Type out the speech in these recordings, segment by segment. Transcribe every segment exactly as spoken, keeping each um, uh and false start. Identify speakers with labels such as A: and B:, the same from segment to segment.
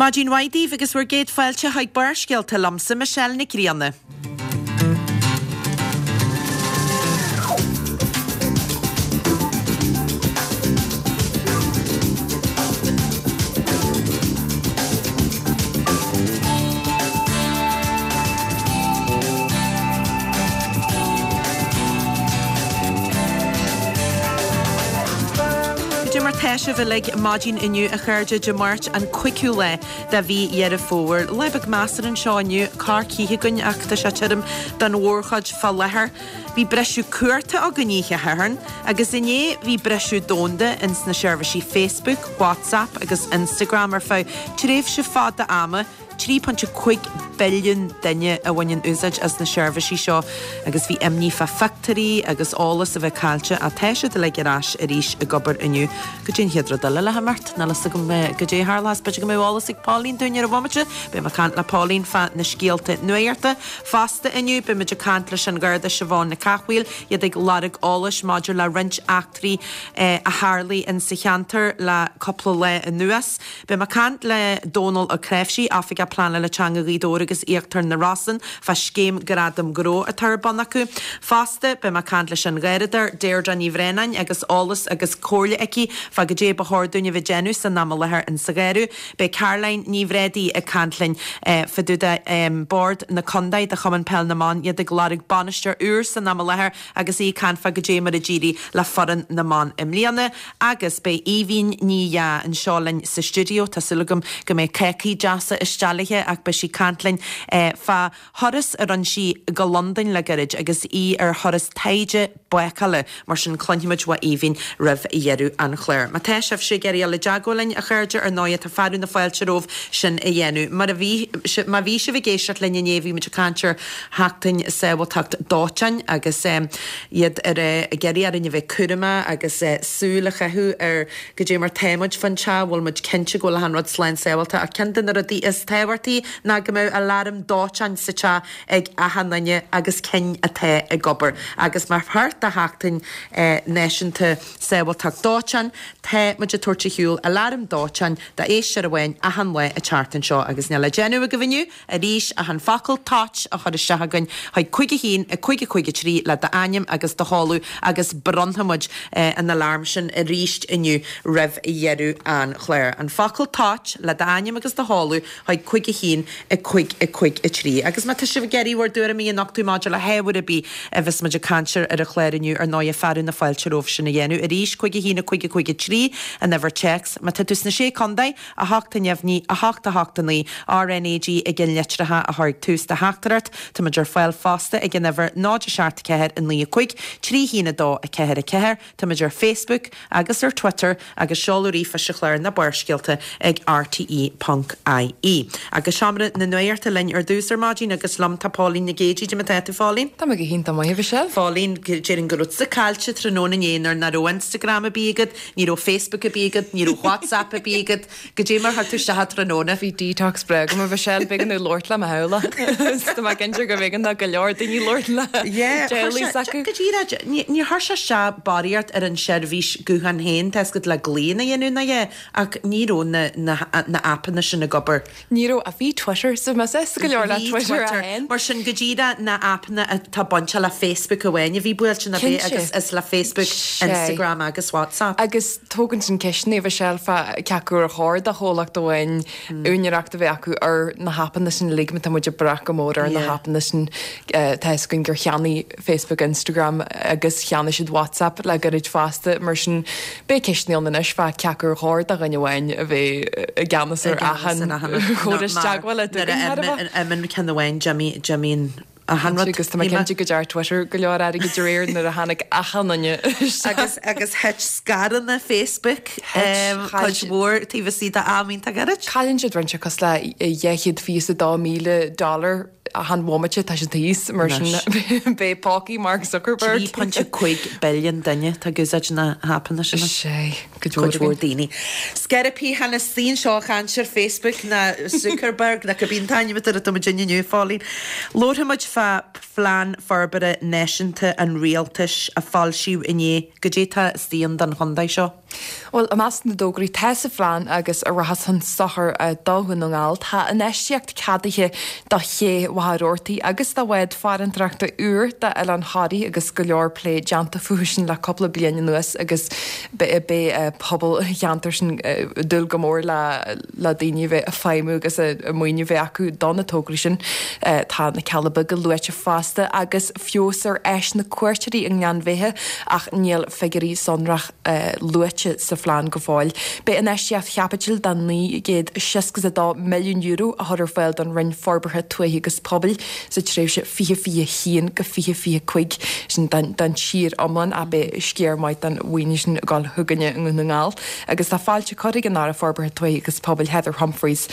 A: Maidin mhaith daoibh agus bhur gcéad fáilte chuig Barrscéalta liomsa Michelle Nic Grianna. Goidé mar tá sibh uilig maidin inniu a chairde Dé Máirt an cúigiú lá de mhí Dheireadh Fómhair. Lá beag measartha anseo inniu, corrchith againn ach tá sé tirim don mhórchuid fá láthair. Bhí briseadh cumhachta againn oíche Shathairn agus inné bhí briseadh domhanda ins na seirbhísí Facebook, WhatsApp agus Instagram ar feadh tréimhse fada ama. trí pointe cúig billiún duine a bhaineann úsáid as na seirbhísí seo agus bhí imní fá phictiúirí agus eolas a bheith caillte ach tá siad uilig ar ais arís ag obair inniu. Goidé an chéad rud eile le himeacht? Níl fhios agam goidé a tharlós. B'fhéidir go mbeadh eolas ag Pauline dúinn ar an bhomaite. Beidh mé ag caint le Pauline fá na scéalta nuachta. Fosta inniu beidh muid ag caint leis an Gharda Siobhán Nic Cathmhaoil, iad ag lorg eolais maidir le roinnt eachtraí a tharlaigh in sa cheantar le cúpla lá anuas. Beidh mé ag caint le Dónal Ó Cnáimhsí, Oifigeach Pleanála Teanga Ghaoth Dobhair agus Íochtar na Rosann fá scéim Gradam Gnó atá ar bun acu. Fosta, beidh mé ag caint leis an Gharradóir Deirdre Ní Bhraonáin agus eolas agus comhairle aici fá goidé ba chóir dúinn a bheith ag déanamh san am i láthair in sa gharradh. Beidh Caroline Ní Bhréadaí ag caint linn fá dtaobh de Bord na Contae de Chumann Peil na mBan, iad ag lorg bainisteoir úr san am i láthair agus í ag caint fá goidé mar a d'éirigh le foireann na mban i mbliana. Agus beidh Aoibhín Ní Dheá anseo linn sa stiúideo. Tá súil agam go mbeidh cácaí deasa istigh léithe ach beidh sí ag caint linn fá thuras a rinne sí go Londain le gairid agus í ar thuras taighde bácála. Mar sin cluinfimid uaidh Aoibhín roimh dheireadh an chláir. Má tá sibhse ag iarraidh dul i dteagmháil linn, a chairde, ar ndóigh tá fearadh na fáilte romhaibh sin a dhéanamh. Mar a bhí, má bhí sibh ag éisteacht linn inné bhí muid ag caint ar Sheachtain Sábháilteacht Dóiteáin agus iad ar ag iarraidh orainn a bheith cúramach agus súil a chaitheamh ar goidé mar tá muid fán teach, bhfuil muid cinnte go bhfuil achan rud slán sábháilte ach ceann de na rudaí is tábhachtaí ná go mbeadh aláram dóiteáin sa teach ag achan duine agus cinn atá ag obair. Agus mar pháirt de Sheachtain Náisiúnta Sábháilteacht Dóiteáin, tá muid ag tabhairt ar shiúl aláram dóiteáin d'éisteoir amháin achan lá an tseachtain seo agus níl le déanamh agaibh inniu arís ach an focal toit a chur isteach againn chuig cúig a haon, a cúig a cúig a trí le d'ainm agus do sheoladh agus bronnfaidh muid an alarm sin arís inniu roimh dheireadh an chláir. An focal toit le d'ainm agus do sheoladh chuig cúig a haon, a cúig a cúig a trí. Agus má tá sibh ag iarraidh bhur dtuairimí a nochtadh maidir le hábhar ar bith a bheas muid ag caint air ar an chlár inniu, ar ndóigh fearadh na fáilte romhaibh sin a dhéanamh. Arís, cúig a haon, a cúig a cúig a trí, an uimhir téacs. Má tá tú sna Sé Contae, a hocht a neamhní, a hocht a hocht a naoi, RnaG ag an litreacha a chur ag tús do theachtaireacht. Tá muid ar fáil fosta ag an uimhir náid a seacht a ceathair a naoi a cúig, trí haon a dó a ceathair a ceathair. Tá muid ar Facebook agus ar Twitter agus seoladh ríomhphoist an chláir ná Barrscéalta ag rte ponc ie. Agus seomra na nuachta linn ar dtús ar maidin agus liom tá Pauline Nic Géidigh. Goidé mar tá tú, Phauline?
B: Tá mé go hiontach maith, a Mhichelle.
A: Pauline, déarfainn go raibh tusa caillte tráthnóna inné nuair nach raibh Instagram ar bith agat, ní raibh Facebook ar bith agat, ní raibh WhatsApp ar bith agat. Goidé mar chuir tú isteach tráthnóna?
B: Bhí detox breá agam, a Mhichelle, b'éigean domh labhairt le mo theaghlach. Tá mé cinnte go mb'éigean do go leor daoine labhairt le teaghlaigh s'acu.
A: Go díreach, níor chuir sé isteach barraíocht ar an seirbhís gutháin féin, tá a fhios agat le glaonna a dhéanamh ná é, ach ní raibh na na na aipeanna sin ag obair.
B: Ní raibh, ach bhí Twitter, so más éasca go leor le Twitter a fháil.
A: Mar sin go díreach na aipeanna atá bainte le Facebook amháin a bhí buailte ná b'é agus is le Facebook, Instagram agus WhatsApp.
B: Agus tógann sin ceisteanna, a Mhichelle, fá cé acu ar chóir do chomhlacht amháin úinéireacht a bheith acu ar na haipeanna sin uilig, má tá muid ag brath go mór ar na haipeanna sin. Tá a fhios againn gur cheannaigh Facebook Instagram agus cheannaigh siad WhatsApp le gairid fosta, mar sin beidh ceisteanna ann anois fá cé acu ar chóir do dhuine amháin a bheith i gceannas ar achan chóras teagmhála
A: dúinn thar a bheith. Nuair a imíonn ceann amháin, d'imíonn achan rud.
B: Agus tá mé cinnte go dearn Twitter go leor airgid aréir nuair a tháinig achan duine
A: isteach. Agus agus thit scaireanna Facebook cuid mhór taobh istigh d'am iontach gairid.
B: Cailleann siad roinnt cosúil le dhá chéad fiche is a dó míle dollar Chan bhomaite tá sé thíos mar sin beidh pócaí Mark Zuckerberg.
A: Trí pointe cúig billiún duine atá ag úsáid na haipeanna sin.
B: Sé
A: cuid mhór daoine. Sceiripí chan is seo ag caint ar Facebook ná Zuckerberg na cibé an t-ainm atá air atá muid inniu Phauline. Labharfaidh muid fá Phlean Forbartha Náisiúnta an Rialtais a foilsíodh inné. Goidé tá istigh ann don chontae seo.
B: Bhuel, i measc na dtograí tá sa phlean agus a rachas chun sochair do Dhún na nGall, tá infheistíocht ceadaithe do ché Mhachaire Rabhartaigh agus do bhád farantóireachta úr d'Oileán Thoraí agus go leor plé déanta fúthu sin le cúpla bliain anuas agus beidh pobal an cheantair sin ag dúil go mór le le daoine a bheith ag feidhmiú agus a maoiniú bheith acu do na tograí sin. Tá na Cealla Beaga luaite fosta agus feabhas ar áiseanna cuairteoirí i nGleann Bheithe ach níl figiúirí sonrach luaite sa phlean go fóill. Beidh infheistíocht chaipitil de naoi gcéad seasca a dó milliún euro a chur ar fáil don Roinn Forbartha Tuaithe agus Pobail sa tréimhse fiche fiche haon go fiche fiche cúig, sin don tír iomlán ach beidh sciar maith den mhaoiniú sin ag dul chugainne i nDún na nGall. Agus tá fáilte curtha ag an Aire Forbartha Tuaithe agus Pobail Heather Humphreys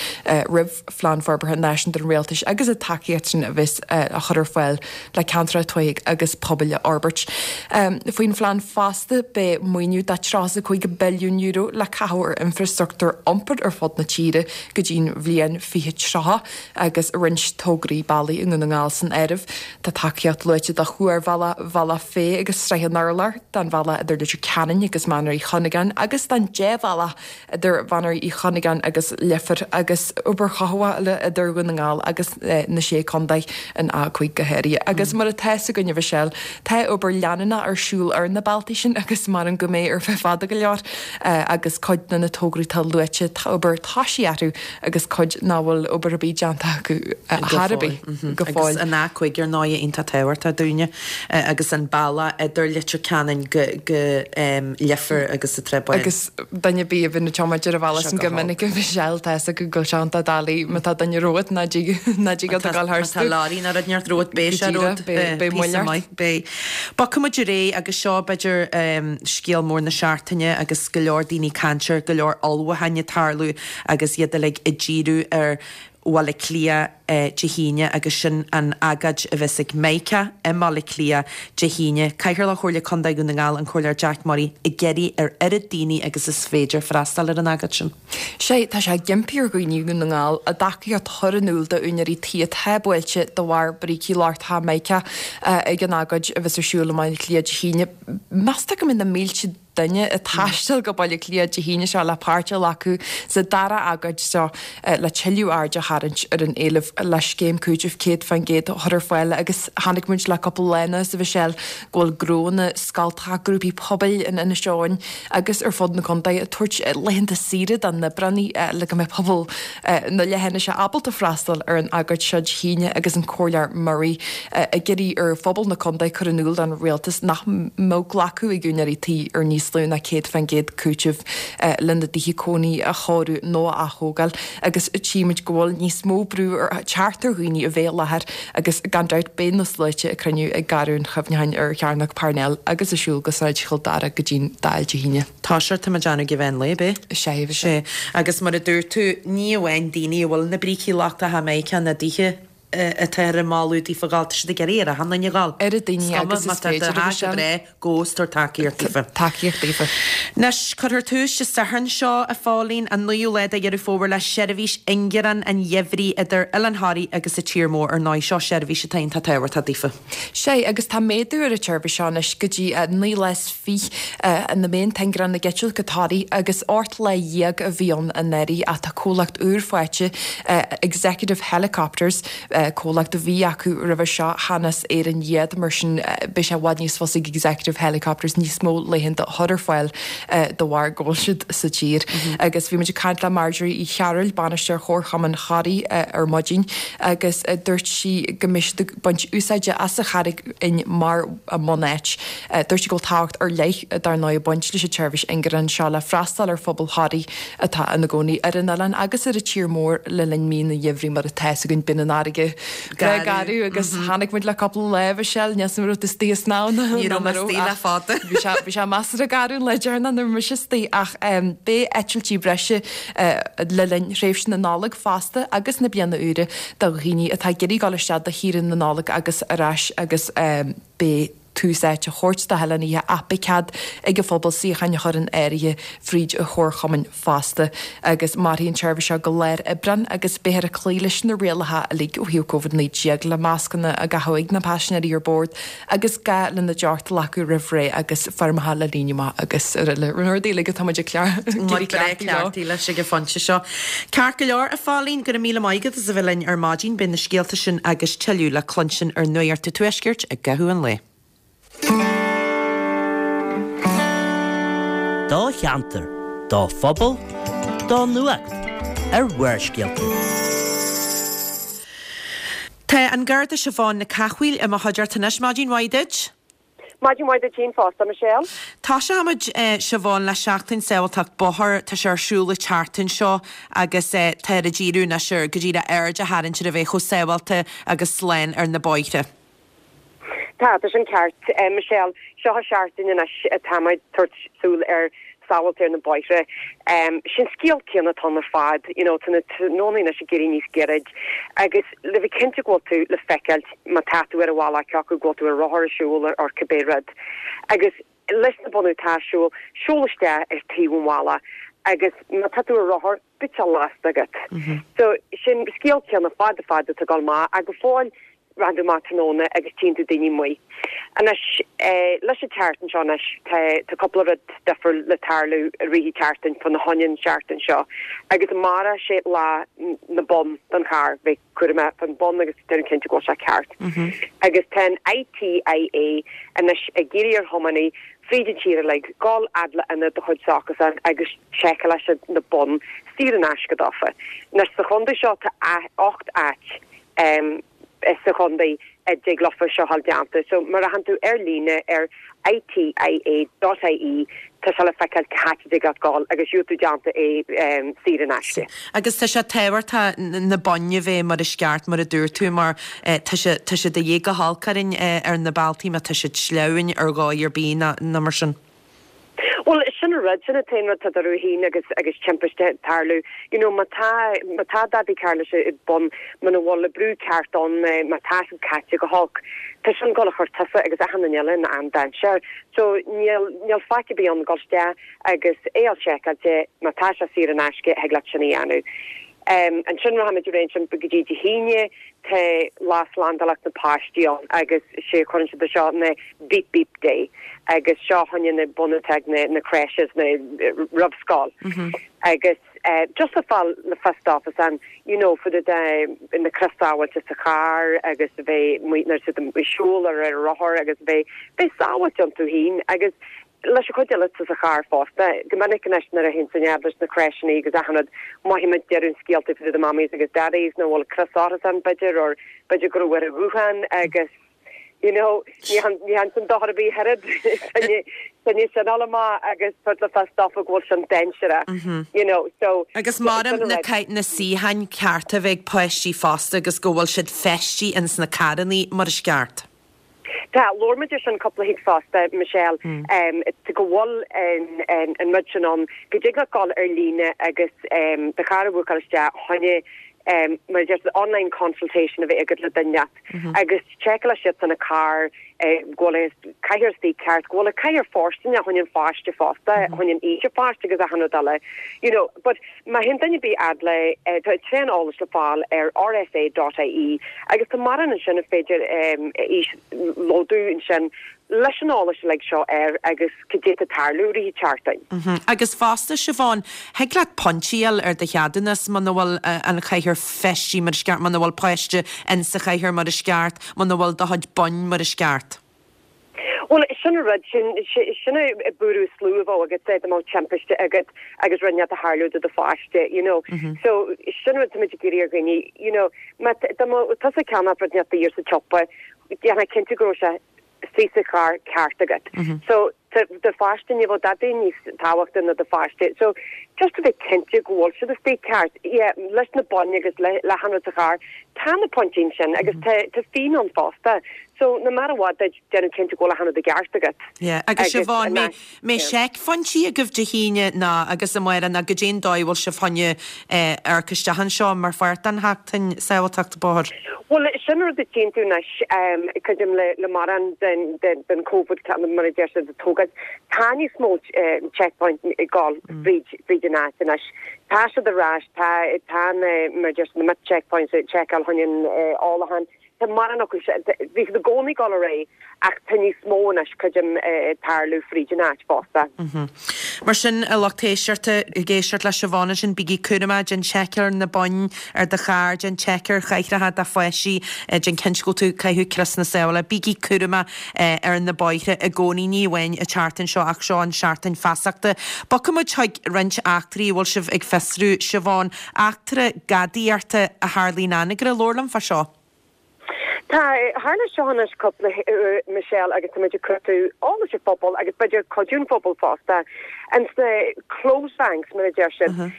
B: roimh Phlean Forbartha Náisiúnta an Rialtais agus an tacaíocht sin a bheas á chur ar fáil le ceantracha tuaithe agus pobail a fhorbairt. Faoin phlean fosta beidh maoiniú de tríocha a cúig billiún euro le caitheamh ar infreastruchtúr iompair ar fud na tíre go dtí'n bhliain fiche tríocha agus roinnt tograí bealaí i nDún na nGall san áireamh. Tá tacaíocht luaite do chuarbhealach Bhealach Féich agus Srath an Urláir, don bhealach idir Leitir Ceanainn agus Manaar Uí Chuinneagáin agus don débhealach idir Mhanaar Uí Chuinneagáin agus Leifear agus obair chothabhála idir Dhún na nGall agus na Sé Contae, an A cúig go háirithe. Agus mar atá a fhios againn a Mhichelle, tá obair leanúnach ar siúl ar na bealtaí sin agus measaim go mbeidh ar feadh fada go leor agus cuid de na tograí atá luaite, tá obair tosaithe orthu agus cuid nach bhfuil obair ar bith déanta acu chor ar bith go fóill.
A: Agus an A cúig ar ndóigh iontach tábhachtach dúinne agus an bealach idir Leitir Ceanainn go go Leifear agus an Trá Bháin.
B: Agus duine ar bith a bhíonn ag tiomáint ar an bhealach sin go minic a Mhichelle, tá fhios acu go bhfuil sé iontach doiligh má tá duine romhat ná dtig ná dtig leat a ghabháil tharstu.
A: Má tá leoraí nó rud inteacht romhat beidh sé romhat.
B: Beidh moill ort.
A: Beidh. Bogfaidh muid ar aghaidh agus seo b'fhéidir scéal mór na seachtaine agus go leor daoine ag caint air, go leor ullmhúcháin ag tarlú agus iad uilig ag díriú ar Bhaile Átha Cliath Dé hAoine agus sin an agóid a bheas ag Mica i mBaile Átha Cliath Dé hAoine. Cathaoirleach Chomhairle Contae Dhún na nGall, an Comhairleoir Jack Murray, ag iarraidh ar oiread daoine agus is féidir freastal ar an agóid sin.
B: Sé, tá sé ag impí ar dhaoine i nDún na nGall a dtacaíocht a chur in iúl d'úinéirí tí atá buailte de bharr brící lochtacha Mica ag an agóid a bheas ar siúl i mBaile Átha Cliath Dé hAoine. Meastar go mbeidh na mílte duine ag taisteal go Baile Átha Cliath Dé hAoine seo le páirt a ghlacadh sa dara agóid seo le tuilleadh aird a tharraingt ar an éileamh le scéim cúitimh céad faoin gcéad a chur ar fáil agus chonaic muid le cúpla lá anuas, a Mhichelle, go bhfuil gnónna, scoltacha, grúpaí pobail in Inis Eoghain agus ar fud na contae ag tabhairt laethanta saoire dá n-oibreannaí le go mbeidh pobal na leithinise ábalta freastal ar an agóid seo Dé hAoine agus an Comhairleoir Murray ag iarraidh ar phobal na contae cur in iúl don rialtas nach mbeadh glacadh ag úinéirí tí ar níos lú ná céad faoin gcéad cúiteamh lena dtithe cónaí a chóiriú nó a aththógáil agus tchímid go bhfuil níos mó brú ag teacht ar dhaoine a bheith i láthair agus gan dabht beidh na sluaite ag cruinniú ag Garraí an Chuimhneacháin ar Chearnóg Parnell agus ag siúl go Sráid Chill Dara go dtí'n Dáil Dé hAoine.
A: Tá sé, tá mé ag déanamh ag mheán lae, beidh?
B: Sé, bhí
A: sé. Agus mar a dúirt tú, ní amháin daoine a bhfuil na brící lochtacha Mica ina dtithe atá ar an moladh daofa ghabháil, tá siad ag iarraidh ar achan duine a ghabháil.
B: Oiread daoine agus is
A: Má tá
B: féidir,
A: do
B: a
A: theach go
B: Mhichelle.
A: breá, gabh is tabhair tacaíocht daofa.
B: Tacaíocht daofa.
A: Anois, cuirfear tús Dé Sathairn seo, a Phauline, an naoú lá de Dheireadh Fómhair le seirbhís ingearán an gheimhridh idir Oileán Thoraí agus an tír mór. Ar ndóigh, seo seirbhís atá iontach tábhachtach daofa.
B: Sé, agus tá méadú ar an tseirbhís seo anois go dtí naoi lá is fiche ina mbeidh an t-ingearán ag eitilt go Toraigh agus ocht lá dhéag a bhí ann anuraidh ach tá comhlacht úr faighte, Executive Helicopters, comhlacht a bhí acu roimhe seo, chan as Éirinn iad, mar sin beidh sé i bhfad níos fusa ag Executive Helicopters níos mó laethanta a chur ar fáil de bharr go bhfuil siad sa tír. Agus bhí muid ag caint le Marjorie Uí Chearúil, Bainisteoir Chomharchumann Thoraí ar maidin agus dúirt sí go mbeidh siad ag baint úsáide as an Charraig Fhinn mar a mbunáit. Dúirt sí go bhfuil tábhacht ar leith dar ndóigh ag baint leis an tseirbhís ingearáin seo le freastal ar phobal Thoraí atá ina gcónaí ar an oileán agus ar an tír mór le linn mí an gheimhridh mar atá a fhios againn bíonn an fharraige breá garbh agus tháinig muid le cúpla lá Michelle níl a fhios agam an raibh tú istigh ag snámh
A: Ní raibh mé istigh le fada.
B: Bhí sé bhí sé measartha garbh an lá deireanach nuair a bhí mise istigh ach beidh eitiltí breise le linn thréimhse na Nollag fosta agus na bliana úire do dhaoine atá ag iarraidh dul isteach do shaoire na Nollag agus ar ais agus beidh tús áite á thabhairt do hoileánaithe ach beidh cead ag an phobal suíocháin a chur in áirithe fríd an chomharchumann fosta agus mairfidh an tseirbhís seo go lár Aibreáin agus beifear ag cloí leis na rialacha uilig ó thaobh Covid naoi déag le mascanna á gcaitheamh ag na paisinéirí ar bord agus gá lena dteocht a ghlacadh roimh ré agus foirmeacha le líonadh amach agus araile. Na rudaí uilig atá muid ag
A: cleachtaí leis ag an phointe seo. Ceart go leor, a Phauline, go raibh míle maith agat as a bheith linn ar maidin. Beidh na scéalta sin agus tuilleadh le cluinstin ar Nuacht an Tuaiscirt i gcaitheamh an lae.
C: Do cheantar, do phobal, do nuacht ar Bharrscéalta.
A: Tá an Garda Siobhán Nic Cathmhaoil i mo chuideachta anois. Maidin mhaith duit.
D: Maidin mhaith duit féin fosta, Michelle.
A: Tosóimid Siobhán le Seachtain Sábháilteacht Bóthair. Tá sé ar siúl an tseachtain seo agus tá ag díriú anois ar go díreach aird a tharraingt ar a bheith chomh sábháilte agus slán ar na bóithre.
D: Tá, tá sin ceart, Michelle. Seo an seachtain anois atá muid tabhairt súil ar sábháilte ar na bóithre. Sin scéal céanna atá ann ar fad, you know, tá na tráthnónaí anois ag éirí níos gairid agus le bheith cinnte go bhfuil tú le feiceáilt má tá tú ar an bhealach cé acu go bhfuil tú ar rothar, ag siúl or cibé rud. Agus leis na bonnú atá ar siúl, siúl isteach ar taobh an bhealaigh agus má tá tú ar rothar, bíodh sé lasta agat. So sin scéal céanna fada fada atá ag dul amach ach go fóill rachann tú amach tráthnóna agus tchíonn tú daoine amuigh. Anois, leis an tseachtain seo anois, tá tá cúpla rud difriúil le tarlú i rith an tseachtain fá choinne an seachtain seo. Agus amárach sé lá na bonn don charr, bheith cúramach fán bonn agus déanamh cinnte go bhfuil sé ceart. Agus tá an I T I A anois ag iarraidh ar thiománaí fríd an tír uilig dul fhad le ionad de chuid s'acusan agus seiceálfaidh siad na boinn saor in aisce daofa. Anois sa chontae seo tá ocht áit um, sa chontae a dtig leofa seo a fháil déanta. So má rachann tú ar líne ar I T I A dot I E tá sé le feiceáil cá háit a dtig leat dul agus gheobhaidh tú déanta é um, saor in aisce.
A: Agus tá sé tábhachtach na boinn a bheith mar is ceart mar a dúirt tú mar eh, tá sé tá sé de dhíth go holc orainn eh, ar na bealtaí má tá siad sleamhain ar dhóigh ar bith ná ná mar sin.
D: Well sin an rud sin an t-aon rud tá ruhín agus agus timpiste tarlú. You know, má tá má tá dadaí carr leis i bun muna bhfuil le brú ceart ann má tá siad caite go holc. Tá sin ag gabháil a chur tusa agus achan duine eile in an-dainséar. So níl níl faic ar bith ann dul isteach agus é a seiceáilte má tá sé saor in aisce thig leat sin a dhéanamh. Um, ansin rachaimid ar sin go dtí Dé hAoine tá lá slándálacht na páistí ann agus sé chuireann siad seo na beep beep day agus seo choinne na bunatag na na crèches na roimh scoil. Mm -hmm. Agus uh, just le fáil le fios daofa an you know for the in na crios sábháilte sa charr agus bheith nuair siad siúl ar ar rothar agus bheith bheith sábháilte iontu féin agus leis an chuid eile sa charr fosta, go minic anois nuair a théann san leis na crècheanna agus achan rud maith deireadh scéalta fá the mammies agus daddies nach bhfuil crios orthu b'fhéidir or b'fhéidir go bhfuil a ghuthán agus you know ní han san dochar a bhí herad sin má agus put le fios daofa go bhfuil sin dainséarach you know so
A: Agus maram na na suíocháin cearta bheith páistí fosta agus go bhfuil siad feistithe ins na carranna mar is ceart.
D: Tá labhair muid sin cúpla hig fosta Michelle mm. um, go bhfuil an an rud sin ann go dtig leat dul ar líne agus um, do charr a bhookáil isteach choinne um, mar just online consultation a bheith agat le duine mm -hmm. agus seiceáil siad san a car eh, go bhfuil cathaoir ceart go bhfuil cathaoir fóirsteanach choinne an pháiste fosta choinne an aois pháiste agus achan rud eile you know but má théann duine bí adle eh, tá tréan eolais le fáil ar R S A dot I E agus tá mar an sin féidir um, íoslódú ansin leis an eolas like seo air agus cad é atá tarlú i rith seachtain.
A: Mm -hmm. Agus fosta Siobhán, thig leat pointí a fháil ar do cheadúnas muna bhfuil uh, an chathaoir feistithe mar is ceart muna bhfuil páiste in sa chathaoir mar is ceart, muna bhfuil do chuid boinn mar is ceart.
D: Well sin rud sin sin buú slúhá agus sé mó timpiste agat agus rinne a tharlú do do pháiste you know mm -hmm. so sin rud muid ag iarraidh ar dhaoine you know tá ceanna rud net ar sa tsiopa déan cinnte go raibh sé sí sa charr ceart agat. Mm -hmm. So do pháiste ní bhfuil dadaí níos tábhachtaí ná do pháiste. So Just a bheith cinnte go bhfuil siad istigh ceart. Yeah, leis na boinn agus le le achan rud sa charr, tá na pointí sin agus tá tá fianáin fosta. So no matter what, déanamh cinnte go bhfuil achan rud i gceart agat.
A: Yeah, agus Siobhán, mbeidh seicphointí agaibh Dé hAoine ná agus amárach ná goidé an dóigh bhfuil sibh chun amharc isteach anseo mar pháirt den Sheachtain Sábháilteachta Bóthair?
D: Bhuel, sin rud a tchíonn tú anois, creidim le le mórán den den den Covid mar a deir siad a tógáil. Tá níos mó checkpoint ag gabháil fríd fríd an áit anois. Tá siad ar ais, tá tá na mar a deir siad na checkpoints ag seiceáil chun an ólachán. Tá mórán acu bhí siad i gcónaí ag gabháil ar aghaidh ach tá níos mó anois creidim ag tarlú fríd an áit fosta.
A: Mar sin a lucht éisteachta ag éisteacht le Siobhán ansin bígí cúramach, déan seiceáil ar na boinn ar do charr, déan seiceáil ar chathracha do pháistí, déan cinnte go bhfuil tú ag caitheamh crios na sábhála. Bígí cúramach ar na bóithre i gcónaí, ní amháin an tseachtain seo ach seo an seachtain feasachta. Bogfaidh muid chuig roinnt eachtraí a bhfuil sibh ag fiosrú, Siobhán, eachtra gadaíochta a tharla in Anagaire, labhair liom fá seo.
D: Tá, tharla seo anois cúpla uair Michelle agus tá muid ag cuartú eolas an phobail agus b'fhéidir cuidiú an phobail fosta. Ins na closed banks mar a deir siad.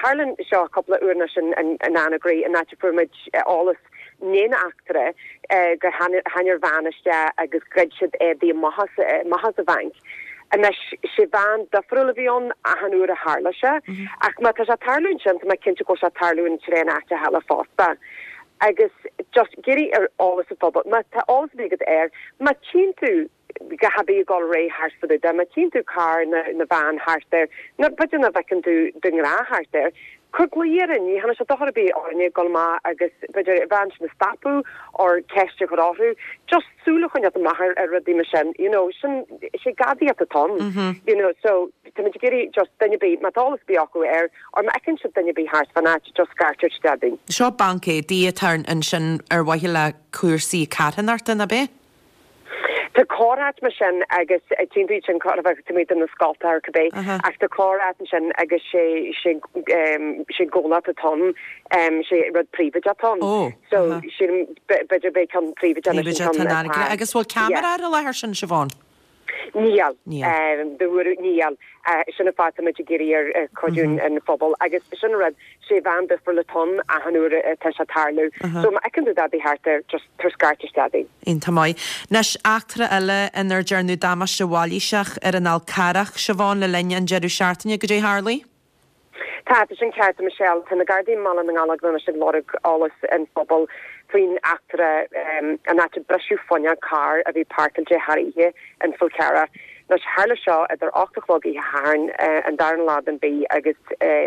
D: Tharla seo cúpla uair anois in Anagaire in áit a fuair muid eolas i ndiaidh na heachtra gur tháinig bean isteach agus ghoid siad éadaí amach amach as an bhanc. Anois sé bhean difriúil a bhí ann achan uair a tharla sé, ach má tá sé ag tarlú ansin tá mé cinnte go bhfuil sé ag tarlú in tréan áiteacha eile fosta. Agus just ag iarraidh ar eolas an phobail, má tá eolas ar bith agat air, má tchíonn tú a dhath ar bith ag dul ar aghaidh thart fá dtaobh de, má tchíonn tú carr nó nó veain thart air, nó b'fhéidir nach bhfeiceann tú de ghnáth thart air, cuir glao orainn, ní dhéanfaidh sé dochar ar bith orainne ag dul amach agus b'fhéidir an bhean sin a stopadh or ceist a chur orthu, just súil a choinneáil amach ar ar rudaí mar sin, you know, sin, sé gadaíocht atá ann, you know, so táimid ag iarraidh just duine ar bith, má tá eolas ar bith acu air, or má fheiceann siad duine ar bith thart fán áit, just scairt isteach dúinn.
A: Seo banc éadaí atá ansin ar mhaithe le cúrsaí carthanachta, ná b'é?
D: Tá corr-áit mar sin agus tchíonn tú iad sin corr a bheadh taobh amuigh de na scolta or cibé ach tá corr-áit ansin agus sé sé sé comhlacht atá ann, sé rud príobháideach atá ann. So sílim b'fhéidir b'é ceann príobháideach anois an ceann atá.
A: Agus bhfuil ceamara ar an láthair sin, Siobhán?
D: Níl. Níl. Níl. Sin an fáth táimid ag iarraidh ar cuidiú an phobail agus sin an rud, sé bhean difriúil atá ann achan uair atá sé ag tarlú. So má fheiceann tú dadaí thart air, just tabhair scairt isteach dúinn.
A: Iontach maith. Anois, eachtra eile inar dearnadh damáiste mhailíseach ar an Fhál Carrach, Siobhán, le linn an deireadh seachtaine, goidé a tharlaigh?
D: Tá, tá sin ceart, a Michelle. Tá na Gardaí i mBaile na nGallóglach anois ag lorg eolas an phobail faoin eachtra an áit a briseadh fuinneog carr a bhí páirceáilte thar oíche in Fál Carrach. Anois, tharla seo idir ocht a chlog oíche Shathairn, an darna lá den mhí, agus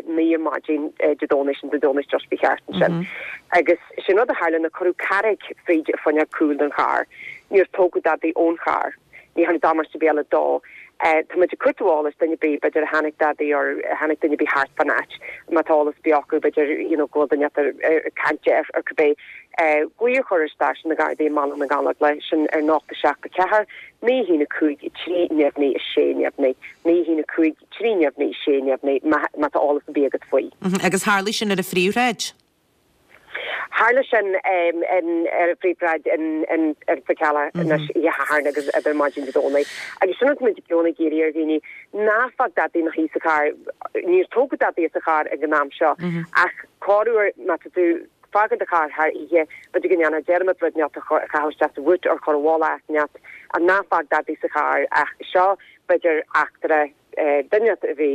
D: naoi ar maidin Dé Domhnaigh, sin Dé Domhnaigh just faoi cheart ansin. Agus sin rud a tharla ná cuireadh carraig fríd an fuinneog cúil den charr. Níor tógadh dadaí ón charr. Ní tharla damáiste ar bith eile dó. Tá muid ag cuartú eolais duine ar bith, b'fhéidir a chonaic dadaí or a chonaic duine ar bith thart fán áit, má tá eolas ar bith acu, b'fhéidir you know go bhfuil duine ag caint air or cibé, glao a chur ar stáisiún na Gardaí i mBaile na nGallóglach, sin ar nocht a seacht a ceathair, naoi a haon a cúig, trí neamhní a sé neamhní, naoi a haon a cúig, trí neamhní a sé neamhní, má má tá eolas ar bith agat faoi.
A: Agus tharlaigh sin ar an phríomhshráid?
D: Tharla sin ar an phríomhshráid in Fál Carrach anois oíche Shathairn agus idir maidin Dé Domhnaigh. Agus sin rud muid i gcónaí ag iarraidh ar dhaoine, ná fág dadaí ina shuí sa charr. Níor tógadh dadaí as an charr ag an am seo ach corruair má tá tú ag fágáil do charr thar oíche, b'fhéidir go ndéanfá dearmad rud inteacht a chaitheamh isteach sa bhúit or chur i bhfolach áit inteacht ach ná fág dadaí sa charr ach seo b'fhéidir eachtra duine a bhí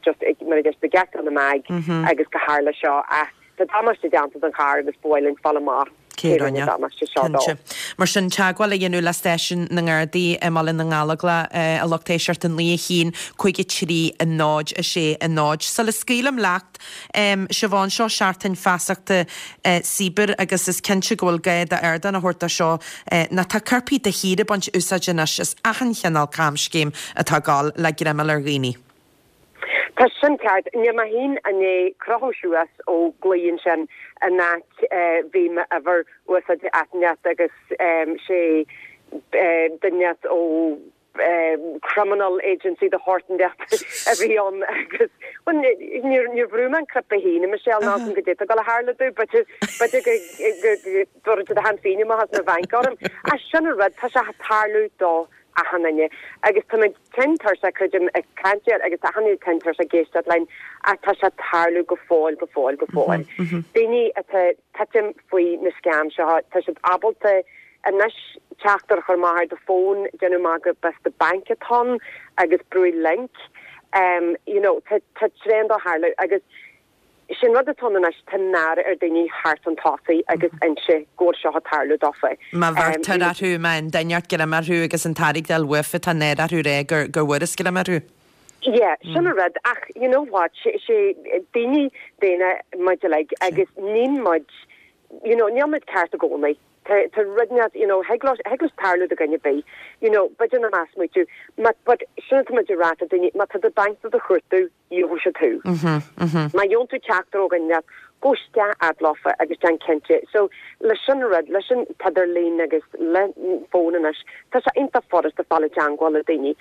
D: just ag mar a deir siad ag geiteáil na meaig agus go tharla seo ach tá damáiste déanta don charr agus ba mhaith linn fáil amach
A: cé rinne an damáiste seo dó. Cinnte. Mar sin, teagmháil a dhéanamh le stáisiún na nGardaí i mBaile na nGallóglach, a lucht éisteachta, naoi a haon, cúig a trí, a náid, a sé, a náid. Sula scaoilim leat, Siobhán, seo seachtain feasachta cibear agus is cinnte go bhfuil gá d'ardán a thabhairt dó seo nó tá coirpigh de shíor ag baint úsáid anois as achan chineál camscéim atá ag gabháil le greimeáil ar dhaoine.
D: Tá sin ceart. Níl mé féin i ndiaidh crochadh suas ó glao ansin in áit bhí m'uimhir úsáidte áit inteacht agus sé duine ó criminal agency de shórt inteacht a bhí ann agus bhuel níor níor bhrúigh mé an cnaipe féin a Michelle ná go dtí go tharla domh b'fhéidir b'fhéidir go dtabharfaidh siad a shean féin amach as mo bhanc orm. Ach sin an rud, tá sé ag tarlú do achan duine agus tá muid tinn tuirseach creidim ag caint air agus achan duine tinn tuirseach ag éisteacht linn ach tá sé ag tarlú go fóill go fóill go fóill. Daoine atá ag titim faoi na scam seo tá siad ábalta anois teachtaireacht a chur amach ar do fón déanamh amach gurb as do banc atá ann agus brúigh link um, you know, tá tá tréan dá tharlú agus sin rud atá ann anois tá náire ar daoine theacht chun tosaigh agus inse go bhfuil seo ag tarlú dófa.
A: Má bheirtear orthu má an duine greim orthu agus an t-airgead a bhuafa tá náire orthu rá gur gur bhfuarthas greim orthu.
D: Yeah, sin an rud ach you know what sé sé daoine daonna muid uilig agus níl muid you know níl muid ceart i gcónaí. Tá tá rud net you know thig leis thig leis tarlú do dhuine ar bith you know b'fhéidir nach meas tú ma but sin atá muid ag rá do daoine má tá do banc do do chuartú gheobhaidh siad thú. Má gheobhann tú teachtaireacht ó dhuine gabh isteach fhad leofa agus déan cinnte. So leis sin rud leis an t-idirlíon agus le fón anois tá sé iontach furasta fáil i dteagmháil le daoine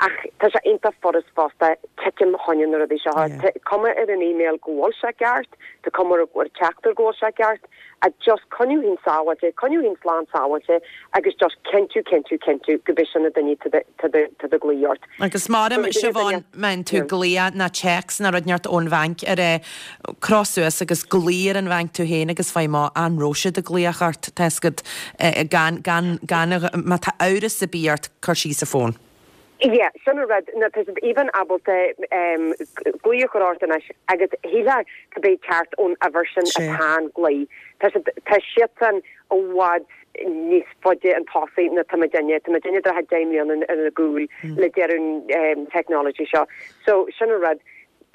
D: ach tá sé iontach furast fosta titim chun na rudaí seo. Tá cuma ar an email go bhfuil sé ceart, tá cuma ar ar teachtaireacht go bhfuil sé ceart, a just coinniú féin sábháilte, coinniú féin slán sábháilte agus just cinntiú cinntiú cinntiú go b'é sin na daoine atá ag glaoch ort.
A: Agus maram Siobhán má fhaigheann tú glaoch ná téacs ná rud inteacht ón bhanc ar é croch suas agus glaoigh ar an bhanc tú féin agus faigh amach an raibh siad ag glaoch ort tá a fhios agat gan gan gan má tá amhras ar bith ort cuir síos an fón.
D: Yeah, sin an rud na tá siad even ábalta um, glaoch a chur ort anois agus shílfeá go bé ceart ón uimhir sin atá an glao. Tá siad tá siadsan i bhfad níos faide chun tosaigh ná tá muidinne tá muidinne deich mbliana ar a gcúl le deireadh um, technology seo. So sin an rud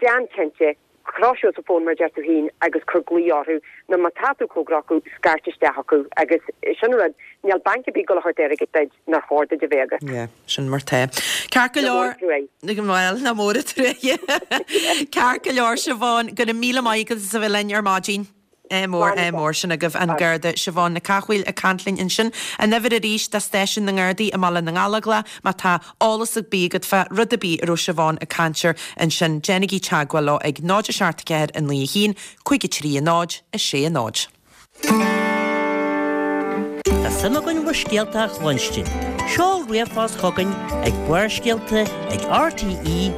D: déan cinnte croch suas an fón mar deir tú féin agus cuir glaoch orthu nó má tá tú cóngarach scairt isteach acu agus sin rud níl banc ar bith ag gabháil a thabhairt airgead duit nár chóir duit a bheith agat.
A: Yeah, sin mar tá. Ceart go leor bhfuil na mór tré. Ceart go leor Siobhán go raibh míle maith agat as a bheith linn ar maidin. É mór é mór sin agaibh an Garda Siobhán Nic Cathmhaoil ag caint linn ansin. An uimhir arís do stáisiún na nGardaí i mBaile na nGallóglach má tá eolas ar bith agat fá rud ar bith a raibh Siobhán ag caint air ansin déanaigí teagmháil leo ag náid a seacht ceathair a naoi a haon, cúig a trí a náid a sé a náid.
C: Tá suim againn bhur scéalta a chluinstin. Seol ríomhphost chugainn ag Barrscéalta ag rte.ie.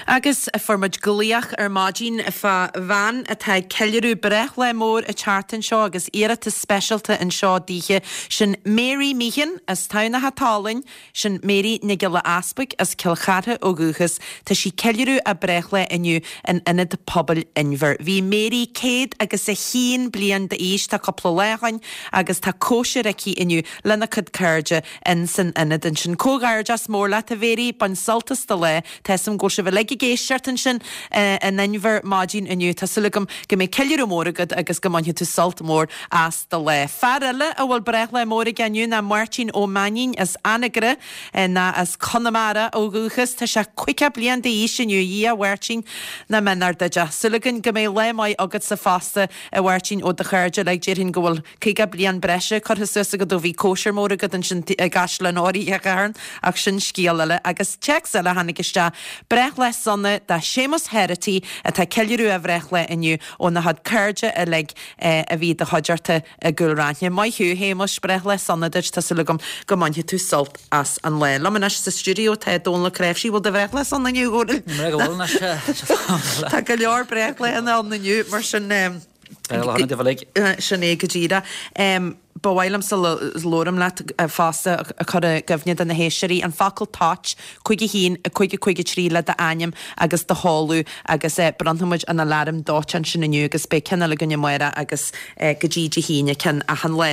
A: Agus fuair muid glaoch ar maidin fá bhean atá ag ceiliúradh breithlá mór an tseachtain seo agus iarratas speisialta anseo daoithe sin Mary Meehan as Tamhnach Álainn, sin Mary Nic Giolla Easpaig as Cill Chartha ó dhúchas, Tá sí ceiliúradh a breithlá inniu in Ionad Pobail Inbhir. Bhí Mary céad agus a haon bliain d'aois tá cúpla lá ó shin agus tá cóisir aici inniu lena cuid cairde in san ionad ansin. Comhghairdeas mór leat a Mhary, bain sult as do lá, Tá a fhios agam go bhfuil sibh uilig ag éisteacht ansin in Inbhir maidin inniu Tá súil agam go mbeidh ceiliúradh mór agat agus go mbainfidh tú sult mór as do lá. Fear eile a bhfuil breithlá mór aige inniu ná Máirtín Ó Mainín as Anagaire ná as Conamara ó dhúchas Tá sé caoga bliain d'aois inniu a Mháirtín na mbeannacht duit. Súil againn go mbeidh lá maith agatsa fosta a Mháirtín ó do chairde le déarfainn go bhfuil caoga bliain breise curtha suas agat ó bhí cóisir mór agat ansin i gCaisleán Átha Rí Chathair ach sin scéal eile agus téacs eile tháinig isteach breithlá sona do Séamus Herity atá ceiliúradh a bhreithlá inniu óna chuid cairde uilig a bhí do chuideachta i gCúil Raithin. Maith thú Shéamuis breithlá sona duit tá súil agam go mbainfidh tú sult as an lá. Liom anois sa stiúideo tá Dónal Créifsí bhfuil do bhreithlá sona inniu Tá go leor breithlá ann inniu mar sin sin é go díreach. Ba mhaith liom sa labhraím leat fosta a chur i gcuimhne do na héisteoirí an focal toit cúig a haon a cúig a cúig a trí le d'ainm agus do sheoladh agus bronnfaimid an aláram dóiteáin sin inniu agus beidh ceann eile againn amárach agus go dtí Dé hAoine ceann achan lá.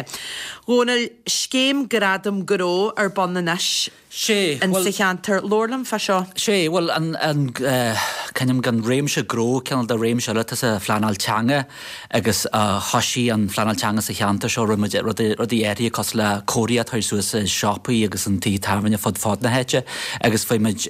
A: Dhónaill scéim gradam gnó ar bun anois.
E: Sé
A: in sa cheantar labhair liom fá seo.
E: Sé bhuel an an ceann gan réimse gnó ceann de réimse eile tá sa phleanáil teanga agus thosaigh an phleanáil teanga sa cheantar seo rinne muid rudaí rudaí áirithe cosúil le comharthaí atá suas i siopaí agus an tí tábhairne fud fad na háite agus fuair muid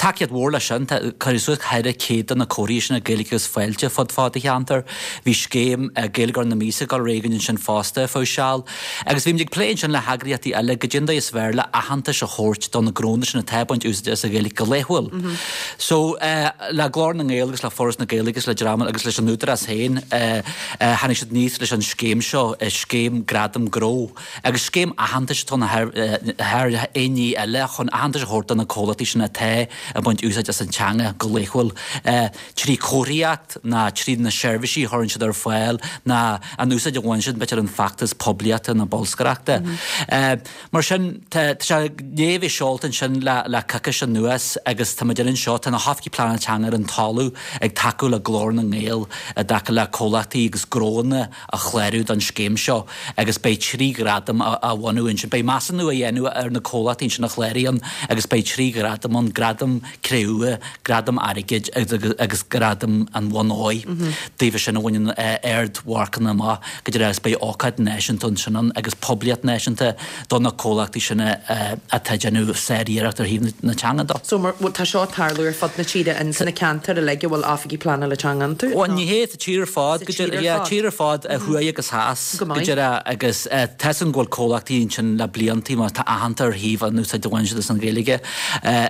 E: tacaíocht mhór leis sin cuireadh suas ceithre chéad de na comharthaí sin Gaeilge agus fáilte fud fad an cheantair. Bhí scéim Gaeilgeoir na míosa ag dul ar aghaidh ansin fosta fá seal. Agus bhí muid ag plé ansin le heagraíochtaí eile go dtí is fearr le aitheantas a thabhairt do na gnónna sin atá ag baint úsáid as an Ghaeilge go laethúil. So uh, le Glór na nGael agus le Foras na Gaeilge agus le dream agus leis an Údarás féin uh, uh, tháinig siad aníos leis an scéim seo scéim Gradam Gnó agus scéim aitheantais atá ann thar aon ní eile chun aitheantas a thabhairt do na comhlachtaí sin atá ag baint úsáid as an teanga go laethúil trí chomharthaíocht ná trí na seirbhísí a chuireann siad ar fáil ná an úsáid a bhaineann siad b'fhéidir an feachtas poiblíochta nó bolscaireachta. Mar sin tá sé i ndiaidh a bheith seolta ansin le le coicís anuas agus tá muid anseo, tá na hoifigigh pleanála teanga ar an talamh ag tacú le Glór na nGael i dtaca le comhlachtaí agus gnóanna a chlárú don scéim seo agus beidh trí ghradam á bhronnadh ansin. Beidh measúnú á dhéanamh ar na comhlachtaí ansin a chláraíonn agus beidh trí ghradam ann, gradam cré-umha, gradam airgid agus gradam an bhonn óir daofa sin a bhaineann ardmharcanna amach go dtí agus beidh ócáid náisiúnta ansin ann agus poiblíocht náisiúnta do na comhlachtaí sin atá ag déanamh sáriarracht ar thaobh na teanga de.
A: So mar, tá seo ag tarlú ar fud na tíre in sna ceantair uilig a bhfuil oifigí pleanála teanga iontu?
E: Bhuel ní hé, sa tír ar fad, go dtí, yeah, tír ar fad, thuaidh agus theas, go dtí, agus tá 'fhios againn go bhfuil comhlachtaí ansin le bliantaí mar tá aitheanta ar thaobh an úsáid a bhaineann siad as an Ghaeilge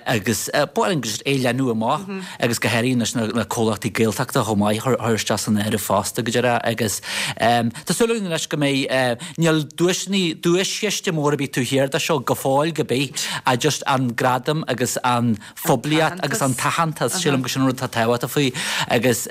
E: agus ba mhaith linn just é a leathnú amach agus go háirithe anois na comhlachtaí Gaeltachta chomh maith a chur isteach san áireamh fosta go dtí agus tá súil againn anois go mbeidh, níl duaiseanna, duaischiste mór ar bith taobh thiar de seo go fóill go bith ach just an gradam agus an phoiblíocht agus an t-aitheantas, sílim go sin an rud atá tábhachtach faoi agus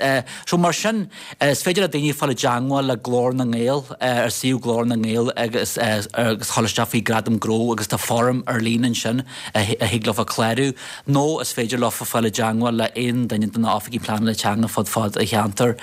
E: so mar sin is féidir le daoine fáil i dteangmháil le Glór na nGael ar suíomh Glór na nGael agus agus dhul isteach faoi Gradam Gnó agus tá foirm ar líne ansin a thig leofa clárú nó is féidir leofa fáil i dteangmháil le aon duine de na oifigigh pleanála teanga fud fad an cheantair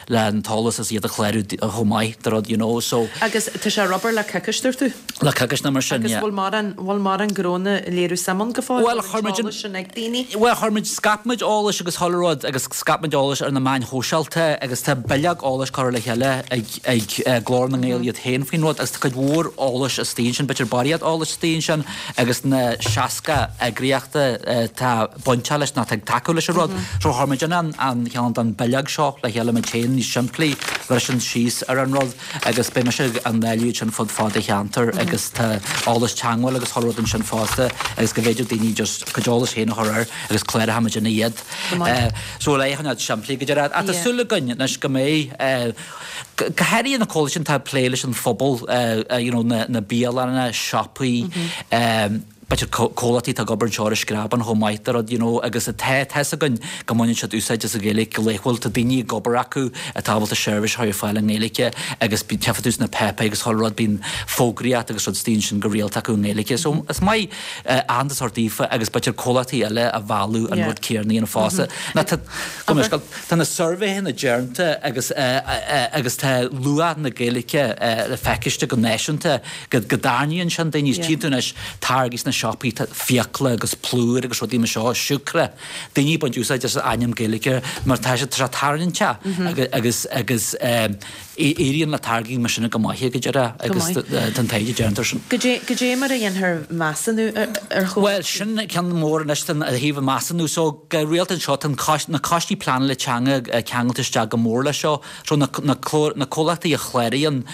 E: le an t-eolas is iad a chlárú chomh maith do rud you know so.
A: Agus tá sé ag obair le coicís dúirt tú?
E: Le coicís nó mar sin
A: yeah. Agus bhfuil mórán bhfuil mórán gnónna ag léiriú suim ann go fóill?
E: Bhuel chuir muid an
A: sin ag daoine?
E: Bhuel chuir muid scaip muid eolais agus chuile rud agus scaip muid eolais ar na meáin shóisialta agus tá bileog eolais curtha le chéile ag ag Glór na nGael iad féin faoin rud agus tá cuid mhór eolais istigh ansin, b'fhéidir barraíocht eolais istigh ansin agus na seasca eagraíocht atá bainteach leis nó atá ag tacú leis an rud. So chuir muid an an ceann den bileog seo le chéile muid féin níos simplí, bhriseann síos ar an rud agus beidh mise á ndáileadh ansin fud fad an cheantair agus tá eolas teagmháil agus chuile rud ansin fosta agus go bhféidir daoine just a gcuid eolais féin a chur air agus cláróidh muid ina iad. So le é a choinneáil simplí go deireadh. Ach tá súil againn anois go mbeidh go háirithe na comhlachtaí sin atá ag plé leis an phobal, you know na na bialanna, siopaí, b'fhéidir comhlachtaí atá ag obair anseo ar an Screabán chomh maith de rud you know agus tá tá 'fhios againn go mbaineann siad úsáid as an Ghaeilge go laethúil, tá daoine ag obair acu atá ábalta seirbhís a chur ar fáil i nGaeilge agus tchífidh tú sna páipéir agus chuile rud bíonn fógraíocht agus rud istigh ansin go rialta acu i nGaeilge so is maith aitheantas a thabhairt daofa agus b'fhéidir comhlachtaí eile a mhealladh an rud céanna a dhéanamh fosta. Nó tá go mbeidh tá na suirbhéanna déanta agus agus tá luach na Gaeilge le feiscint go náisiúnta go go dtarraingíonn sin daoine. Tchíonn tú anois táirgí sna siopaí, tá fiacla agus plúr agus rudaí mar seo, siúcra, daoine ag baint úsáid as an ainm Gaeilge mar tá sé tá sé tarraingteach agus agus éiríonn le táirgí mar sin go maith go deireadh agus tá an taighde déanta air sin.
A: Goidé mar a dhéanfar measúnú ar chomhlachtaí?
E: Bhuel, sin ceann mór anois den thaobh an measúnú. So go rialta anseo tá na coistí pleanála teanga ceangailte isteach go mór leis seo. So na na na comhlachtaí a chláraíonn,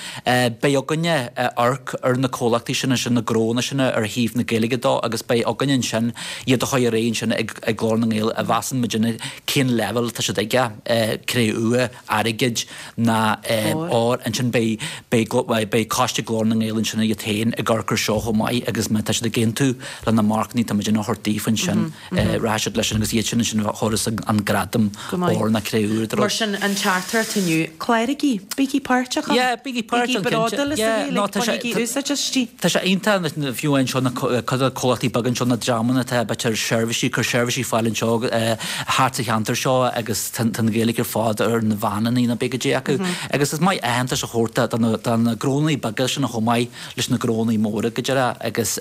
E: beidh againne amharc ar na comhlachtaí sin ansin, na gnónna sin ar thaobh na Gaeilge dó agus beidh againne ansin iad a chur ar aghaidh ansin ag ag Glór na nGael a mheasann muidinne cén leibhéal atá siad aige, cré-umha, airgid ná ór. Ansin beidh beidh beidh coiste Glór na nGael ansin iad féin ag amharc ar seo chomh maith agus má tá siad ag aontú le na marcanna atá muidinne a thabhairt daofa ansin rachaidh siad leis sin agus iad sin ansin a thabharfas an gradam ór ná cré-umha
A: Mar sin an teachtaireacht inniu, cláraigí, bígí páirteach ann,
E: Yeah, bígí páirteach
A: bígí bródúil as an Ghaeilge, bainigí úsáid aisti.
E: Tá sé iontach fiú anseo na cuid de comhlachtaí beaga anseo na dreamanna atá b'fhéidir seirbhísí, cur seirbhísí ar fáil anseo thart sa cheantar seo agus tá an Ghaeilge ar fad ar na veaineanna nó pé goidé acu agus is maith aitheantas a thabhairt do na do na gnónnaí beaga sin chomh maith leis na gnónnaí móra go deireadh agus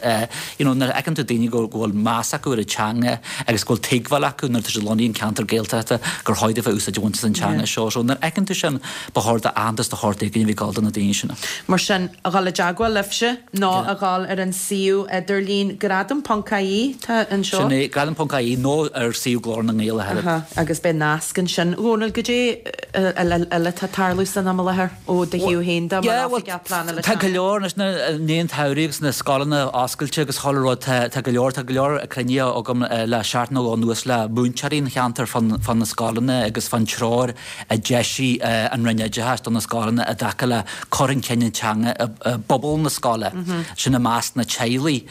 E: you know nuair a fheiceann tú daoine go go bhfuil meas acu ar an teanga agus go bhfuil tuigbheáil acu nuair atá siad lonnaithe in ceantar Gaeltachta gur chóir daofa úsáid a bhaint as an teanga seo. So nuair a fheiceann tú sin ba chóir d'aitheantas de shórt éigin a bheith ag dul do na daoine sin.
A: Mar sin, a dhul i dteagmháil libhse nó a dhul ar an suíomh idirlín gradam ponc ie tá anseo.
E: Sin é, gradam ponc ie nó ar suíomh Glór na nGael a thuilleadh.
A: Aha, agus beidh nasc ansin. Dhónaill, goidé eile atá ag tarlú san am i láthair ó do thaobh féin de mar oifigeach pleanála
E: Tá go
A: teanga?
E: leor anois na i ndiaidh an tsamhraidh agus na scoileanna oscailte agus chuile rud tá tá go leor tá go leor cruinnithe agam le seachtain nó dhó anuas le múinteoirí an cheantair fán fán na scoileanna agus fán treoir a d'eisigh an Roinn Oideachais do na scoileanna i dtaca le cur chun cinn an teanga i i bpobal na scoile, sin i measc na teaghlaigh.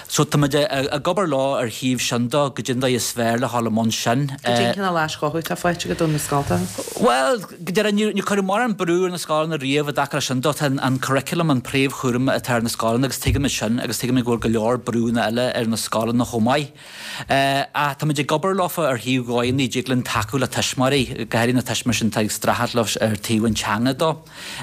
E: So tá muid ag obair leo ar thaobh sin de, goidé an dóigh is fearr le dhul i mbun sin.
A: Goidé an cineál aischothú atá faighte agat ó na scoltacha?
E: Bhuel, go deimhin, níor níor cuireadh mórán brú ar na scoileanna riamh i dtaca leis sin de. Tá an curriculum an príomhchúram atá ar na scoileanna agus tuigimid sin agus tuigimid go bhfuil go leor brúnna eile ar na scoileanna chomh maith. Ach tá muid ag obair leofa ar thaobh dhóigheanna a dtig linn tacú le tuismitheoirí, go háirithe na tuismitheoirí sin atá ag streachailt leo ar taobh an teanga de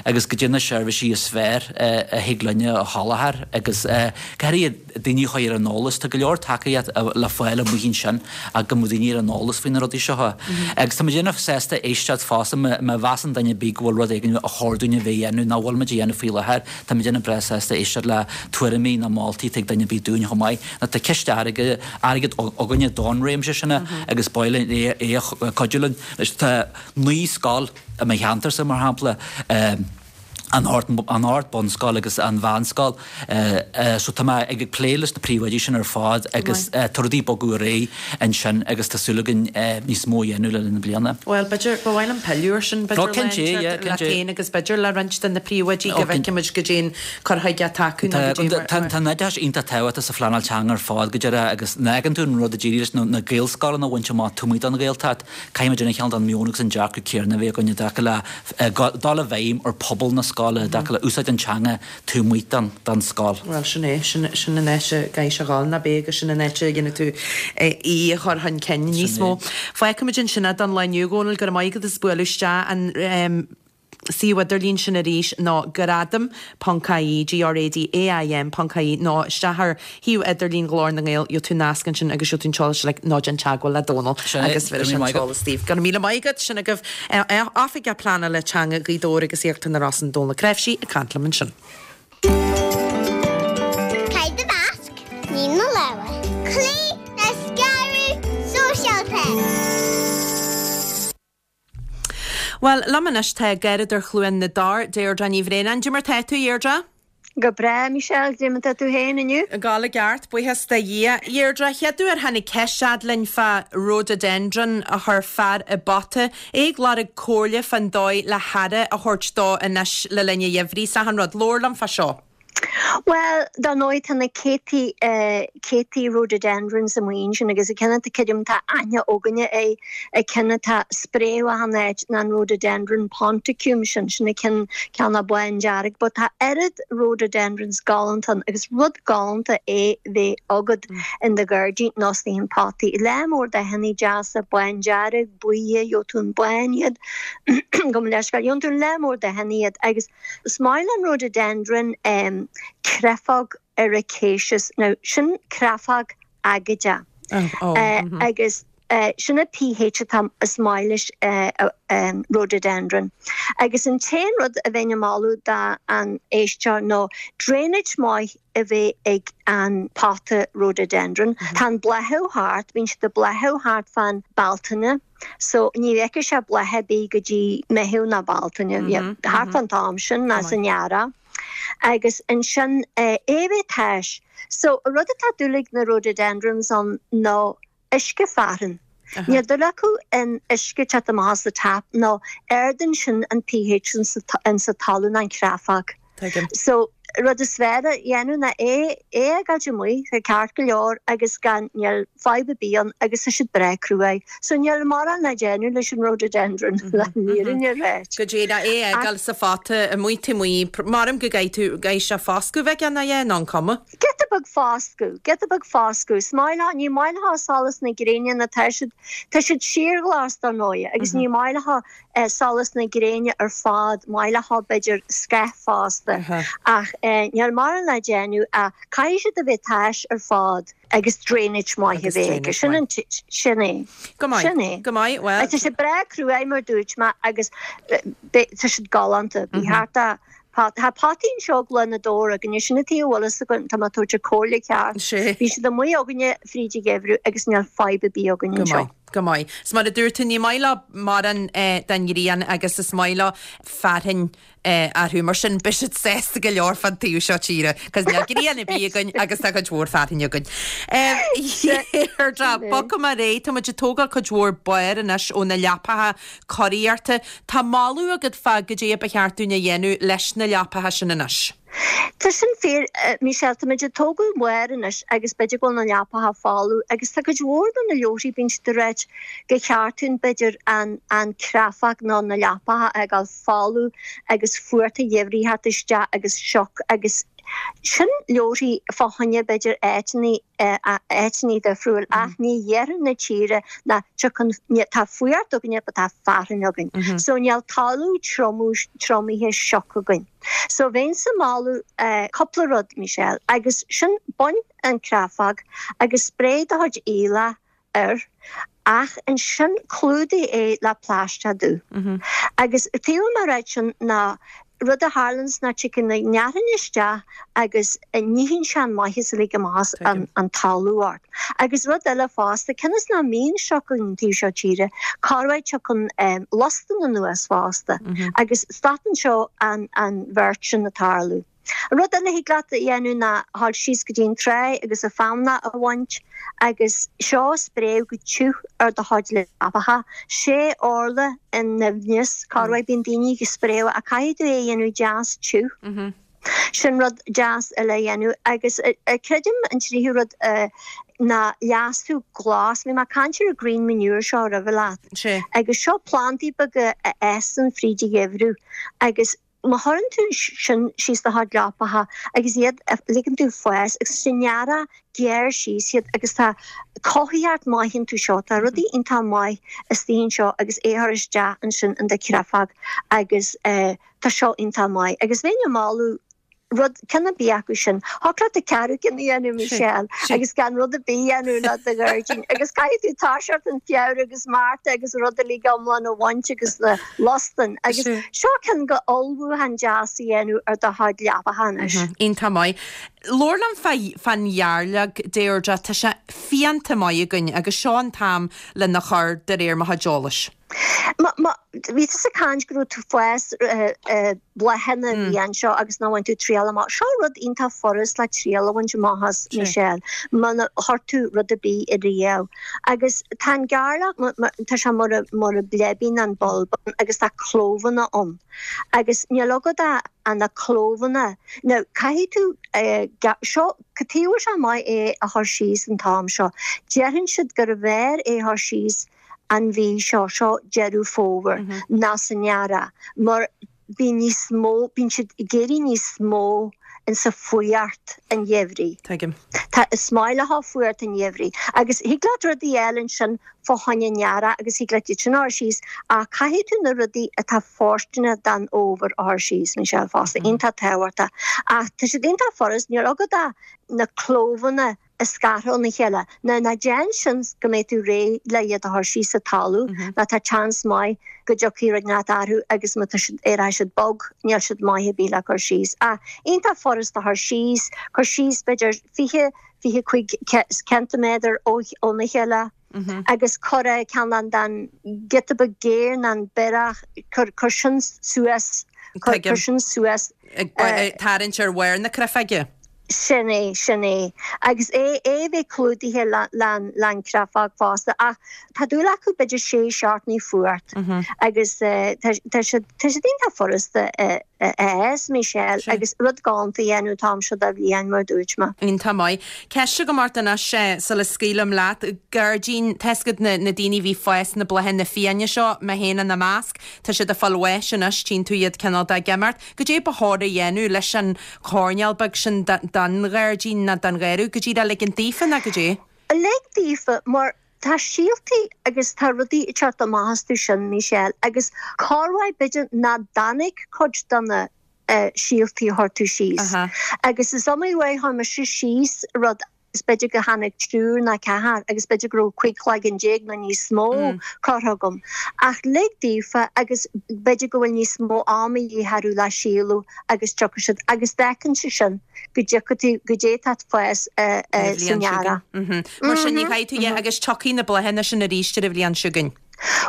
E: agus goidé na seirbhísí is fearr a thig linne a sholáthar agus go háirithe daoine a chur ar an eolas. Tá go leor tacaíocht le fáil amuigh ansin ach go mbeadh daoine ar an eolas faoi na rudaí seo. Agus tá muid an-sásta éisteacht fosta má mheasann duine ar bith go bhfuil rud éigin a chóir dúinn a bheith a dhéanamh nach bhfuil muid a dhéanamh faoi láthair, tá muid an-bhreá sásta éisteacht le tuairimí nó moltaí atá ag duine ar bith dúinn chomh maith. Nó tá ciste airgid airgead againne don réimse sin agus ba mhaith linn é é a chuidiú linn. Tá naoi scoil i mo cheantarsa mar shampla, an an ard-bunscoil agus an mheánscoil. So tá mé ag plé leis na príomhoidí sin ar fad agus tá rudaí ag bogadh ar aghaidh ansin agus tá súil againn níos mó a dhéanamh le linn na bliana.
A: Bhuel, b'fhéidir, ba mhaith liom pilleadh air sin, b'fhéidir, le leat féin agus b'fhéidir le roinnt de na príomhoidí go bhfeicfimid goidé an cur chuige atá acu nó goidé mar.
E: Tá an oideachas iontach tábhachtach sa phleanáil teanga ar fad go deireadh agus nuair a fheiceann tú an rud a d'éirigh leis na Gaelscoileanna a bhaint amach taobh amuigh den Ghaeltacht, caithfidh muid an cineál den meon agus an dearcadh céanna a bheith againn i dtaca le dul i bhfeidhm ar phobal na scoile i dtaca le úsáid an teanga taobh amuigh den den scoil.
A: Bhuel, sin é, sin sin an áit a gcaithfidh sé a dhul, nach b'é agus sin an áit a dhéanfaidh tú í a chur chun cinn níos mó. Fágfaimid ansin é don lá inniu, a Dhónaill, go raibh maith agat as bualadh isteach an suíomh idirlín sin arís ná gradaim ponc ie, G R A D A I M ponc ie, nó isteach ar shuíomh idirlín Ghlór na nGael, gheobhaidh tú nasc ansin agus gheobhaidh tú an t-eolas uilig, nó déan teagmháil le Dónal agus bhéarfaidh sé an t-eolas daoibh. Go raibh míle maith agat, sin agaibh Oifigeach Pleanála Teanga Ghaoth Dobhair agus Íochtar na Rosann, Dónal Ó Cnáimhsí ag caint liom ansin.
F: Caith do mhasc, nigh do lámha. Cloígh le scaradh sóisialta.
A: Bhuel, liom anois tá Garradóir Chluain na dTor, Deirdre Ní Bhraonáin. Cad é mar tá tú, Deirdre?
G: Go breá, Michelle, cad é mar tá tú féin inniu?
A: Ag gabháil i gceart, buíochas do Dhia. Deirdre, chéad uair tháinig ceist fhad linn fá rhododendron a chuir fear i bpota, é ag lorg comhairle fán dóigh le haire a thabhairt dó anois le linn an gheimhridh. 's achan rud. Labhair liom fá seo.
G: Bhuel, dar ndóigh tá na céadtaí, céadtaí rhododendrons amuigh ansin agus an ceann atá creidim tá aithne againne air, an ceann atá ag spréadh achan áit ná an rhododendron ponticum sin, sin an ceann, ceann bándearg, but tá oiread rhododendrons galánta ann agus rud galánta é bheith agat in do ghairdín nó sna hin potaí. Lear mór dathanna deasa, bándearg, buí, gheobhaidh tú an bán iad, gabh mo leithscéal, gheobhaidh tú lear mór dathanna iad agus is maith le an rhododendron um, creafóg ericaceous. Now, sin creafóg aigéadach.
A: Oh, oh,
G: Uh,
A: mm -hmm.
G: agus uh, sin a P H atá is maith leis uh, um, rhododendron. Agus an t-aon rud a bheinn ag moladh do an éisteoir nó drainage maith a bheith ag an pota rhododendron. Mm -hmm. Tá an bláthú thart, bíonn siad ag bláthú thart fan Bealtaine. So ní bheidh sé bláthaithe bí go dtí Meitheamh nó Bealtaine mm -hmm. thart mm -hmm. an t-am sin ná san earrach. Agus ansin é bheith tais. So rud atá dúil ag na rhododendrons an nó uisce fearthainn. Níl dúil acu in uisce te amach as the tap nó ardaíonn sin an P H in sa talamh an chreafóg. So rud is fearr a dhéanamh ná é é a fhágáilt amuigh tá ceart go leor agus gan níl fadhb ar bith ann agus tá siad breá cruaidh. So níl mórán le déanamh leis an rhododendron le fírinne a rá.
A: Go dtí é a fhágáil sa phota amuigh taobh amuigh maram go gcaithfidh tú gcaithfidh sé foscadh bheith ann é nó an cuma.
G: Giota beag foscadh, giota beag foscadh, Is maith leo ní maith leo solas na gréine na tá siad tá siad síorghlas dar ndóigh agus ní maith leo eh, solas na gréine ar fad maith leo b'fhéidir scáth fosta ach eh, níl mórán le déanamh a caithfidh siad a bheith tais ar fad agus drainage maith a bheith aige. Sin an sin é.
A: Go maith.
G: Sin é.
A: Go maith, well.
G: Tá sé breá cruaidh mar dúirt mé agus eh, tá siad galánta. Bhí thart a Tá potaí anseo ag na dóra againne sin a bhfuil tá má tú comhairle ceart.
A: Sé.
G: Bhí siad amuigh againne fríd an gheimhreadh agus níl fadhb ar bith againne
A: Go
G: anseo.
A: maith. Go maith. 'S mar a dúirt tú, ní maith leo mórán den ghrian agus is maith leo fearthainn orthu. Mar sin, beidh siad sásta go leor fán taobh seo tíre, 'cause níl grian ar bith againn agus tá cuid mhór fearthainn againn. Deirdre, bogfaidh mé ar aghaidh, tá muid ag tógáil cuid mhór barr anois ó na leapacha curaíochta. Tá moladh agat fá goidé ba cheart dúinn a dhéanamh leis na leapacha sin anois.
G: Tá sin fíor, Michelle, tá muid ag tógáil barr anois agus b'fhéidir go bhfuil na leapacha folamh agus tá cuid mhór de na leabharthaí bíonn siad ag ráit gur cheart dúinn b'fhéidir an an creafag nó na leapacha a fhágáil folamh agus fuacht an gheimhridh theacht isteach agus sioc agus sin leabharthaí fá choinne b'fhéidir áiteanna áiteanna difriúil ach ní iarthar na tíre ná tiocfaidh tá fuacht againne but tá fearthainn againn so níl talamh triomú triomaithe sioc againn. So bheinnse ag moladh cúpla rud Michelle agus sin bain an creafag agus spréigh do chuid aoileach air ach ansin clúdaigh é le plaisteach dubh. Agus taobh amuigh ráit sin ná rud a tharlaíonns ná tiocfaidh na fearthainn isteach agus níonn sé an maitheas uilig amach as an talamh ort. Agus rud eile fosta, cionn is nach mbíonn sioc againn an taobh seo tíre, corruair tiocfaidh lustan anuas fosta agus stopann seo an an bheart sin ag tarlú. Rud eile thig leat a dhéanamh ná dhul síos go dtí an trá agus an feamnach a bhaint agus seo a spréadh go tiubh ar do chuid leapacha. Sé orla in doimhneas, corruair bíonn daoine ag spréadh ach caithfidh tú é a dhéanamh deas tiubh. Sin rud deas eile a dhéanamh agus creidim an tríú rud ná leasú glas. Bhí mé ag caint ar an green manure seo roimhe leat. Agus seo plandaí beaga a fhásann fríd an gheimhreadh agus Má chuireann tú sin síos do chuid leapacha agus iad a ligeann tú fás agus san earrach gearr síos iad agus tá cothaíocht maith iontu seo, tá rudaí iontach maith istigh anseo agus é a chur isteach ansin in do chreafag agus tá seo iontach maith. Agus bheinn ag moladh rud, ceann ar bith acu sin. Thiocfadh leat an ceathrú ceann a dhéanamh, Michelle, agus gan rud ar bith a dhéanamh le do ghairdín. Agus caithfidh tú toiseacht in Feabhra agus Márta agus rud uilig iomlán a bhaint agus na lustain. Agus seo ceann go ullmhúchán deas a dhéanamh ar do chuid leapacha anois.
A: Iontach maith. Labhair liom fán ghearrleag, Deirdre, tá sé fiánta maith againn agus seo an t-am lena chur de réir mo chuid eolais.
G: Má, má, bhí tusa ag caint go raibh tú fás bláthanna a bhí anseo agus nár bhain tú triail amach. Seo rud iontach furast le triail a bhaint amach as, Michelle, muna chuir tú rud ar bith ariamh. Agus tá an gearrlach, tá sé mar a, mar a bleibín an bulb agus tá clóbhanna ann. Agus níl agat ach na clóbhanna. Now, caithfidh tú, seo, cad tuige a bhfuil sé maith é a chur síos an t-am seo? Déarfainn siad gurbh fhearr é a chur síos an mhí seo, seo Deireadh Fómhair, ná san earrach, mar bíonn níos mó, bíonn siad ag éirí níos mó insa fuacht an gheimhridh.
A: Tuigim.
G: Tá, is maith leo fuacht an gheimhridh. Agus thig leat rudaí a fháil ansin fá choinne an earraigh agus thig leat iad sin a chur síos ach caithfidh tú na rudaí atá fóirsteanach don fhómhar a chur síos, Michelle, fosta. Iontach tábhachtach. Ach tá siad iontach furast, níl agat ach na clóbhanna a scartha óna chéile. Now ná déan sin go mbeidh tú réidh le iad a chur síos sa talamh nó tá seans maith go dtiocfaidh rud inteacht orthu agus má tá siad, éireoidh siad bog, níl siad maith ar bith le cur síos. Ach iontach furast a chur síos, cur síos b'fhéidir fiche, fiche cúig ceintiméadar óna chéile agus cuir ceann den giota beag géar nó an biorach, cuir, cuir sin suas, cuir, cuir sin suas.
A: Ag tarraingt ar bharr na creafóige.
G: Sin é, sin é. Agus é, é a bheith clúdaithe le, le, le an creafóg fosta. Ach tá dúil acu b'fhéidir sé seachtainí fuacht. Agus tá, tá siad, tá siad iontach furasta a, a fhás, Michelle, agus rud galánta a dhéanamh an t-am seo de bhliain, mar a dúirt mé.
A: Iontach maith. Ceist agam ort anois sula scaoilim leat. Gairdín, tá 'fhios agat na, na daoine a bhí ag fás na bláthanna fiáine seo, mé féin ina measc, tá siad ag fáil bháis anois, tchíonn tú iad cineál de ag imeacht. Goidé ba chóir a dhéanamh leis an choirnéal beag sin den ghairdín ná den gharradh, go díreach ligint daofa ná goidé?
G: Lig daofa mar tá síoltaí agus tá rudaí ag teacht amach astu sin, Michelle, agus corruair b'fhéidir nach dtáinig cuid de na síoltaí a chuir tú síos. Agus is iomaí uair a chuir mise síos rud b'fhéidir go tháinig triúr nó ceathrar agus b'fhéidir go raibh cúig chloigeann déag nó níos mó curtha agam. Ach lig daofa agus b'fhéidir go bhfuil níos mó ama a dhíth orthu le síolú agus tiocfaidh siad agus d'fheiceann sé sin go dtiocfaidh tú go dté tá fás san earrach.
A: Mar sin ní chaithfidh tú é agus tiocfaidh na bláthanna sin arís ar an bhliain seo chugainn.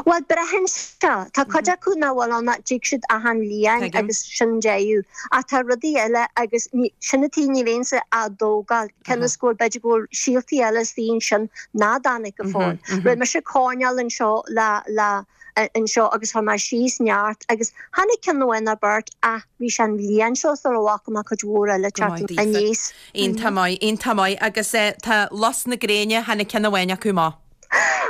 G: Bhuel, braitheann sé. Tá cuid acu nach bhfuil ann ach tig siad achan bhliain agus sin deireadh. Ach tá rudaí eile agus sin an tuige ní bheinnse á dtógáil cionn is go bhfuil b'fhéidir go bhfuil síoltaí eile istigh ansin ná dtáinig go fóill. Rinne mise coirnéal anseo le le anseo agus chuir mé síos neart agus tháinig ceann amháin nó beirt ach bhí sé an bhliain seo sula bhfaca mé cuid mhór eile teacht aníos.
A: Iontach maith, iontach maith agus tá lus na gréine, tháinig ceann amháin acu amach.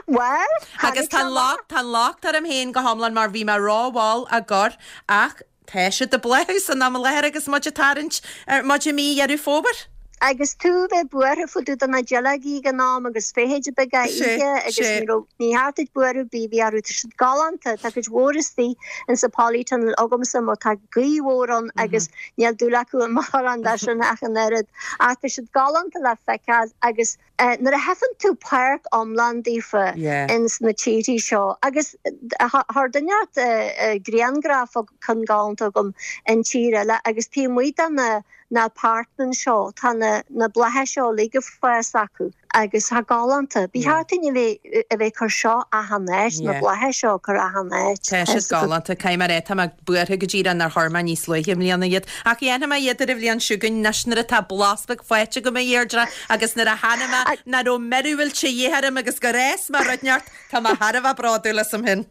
G: Bhuel,
A: Agus tá an locht, tá an locht orm féin go hiomlán mar bhí mé rómhall á gcur ach tá siad ag bláthú san am i láthair agus muid ag tarraingt ar muid i mí Dheireadh Fómhair.
G: Agus tú a bheith buartha fá dtaobh de na duilleogaí ag an am agus feithidí beaga
A: Sé,
G: oíche agus
A: sé.
G: ní raibh, ní theacht duit buartha ar bith a bhí orthu, tá siad galánta, tá cuid mhór istigh insa polytunnel agamsa mar tá gaoth mhór ann agus níl dúil acu i mórán de sin ach an oiread. Ach tá siad galánta le feiceáil agus Nuair a fheiceann tú páirc iomlán daofa ins na tíorthaí seo, agus chuir duine inteacht grianghraf ceann galánta agam in tír eile agus taobh amuigh de na na apartments seo tá na na blátha seo uilig ag fás acu agus tá galánta. Ba cheart dúinn a bheith a bheith ag cur seo achan áit, na blátha seo a chur achan áit.
A: Tá siad galánta, caithfidh mé a rá, tá mé buartha go díreach nár chuir mé níos luaithe i mbliana iad. Ach dhéanfaidh mé iad ar an bhliain seo chugainn anois nuair atá blas beag faighte agam, a Dheirdre, agus nuair a chonaic mé nach raibh míorúilt de dhíth orm agus gur fhás mé rud inteacht, tá mé thar a bheith bródúil asam féin.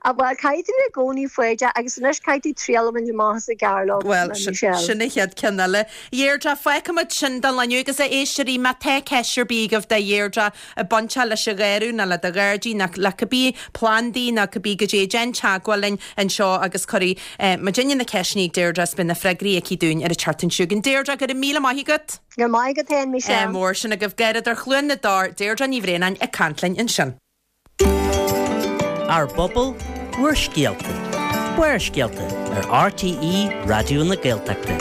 G: Ah bhuel, caithfidh tú i gcónaí foighdeach agus anois caithfidh tú triail a bhaint amach as an gcearlóg,
A: Bhuel,
G: Michelle.
A: sin an chéad ceann eile. Dheirdre, fágfaimid sin don lá inniu agus a éisteoirí, má tá ceist ar bith agaibh do Dheirdre ag baint leis an gharradh nó le do ghairdín nó le cibé plandaí nó cibé goidé, déan teagmháil linn anseo agus cuirfidh muidinne na ceisteanna ag Deirdre is beidh na freagraí aici dúinn ar an tseachtain seo chugainn. Deirdre, go raibh míle maith agat!
G: Go raibh maith agat féin, Michelle.
A: Mór sin agaibh Garradóir Chluain na dTor, Deirdre Ní Bhraonáin ag caint linn ansin.
C: Ár bpobal, bhur scéalta. Barrscéalta ar RTÉ Raidió na Gaeltachta.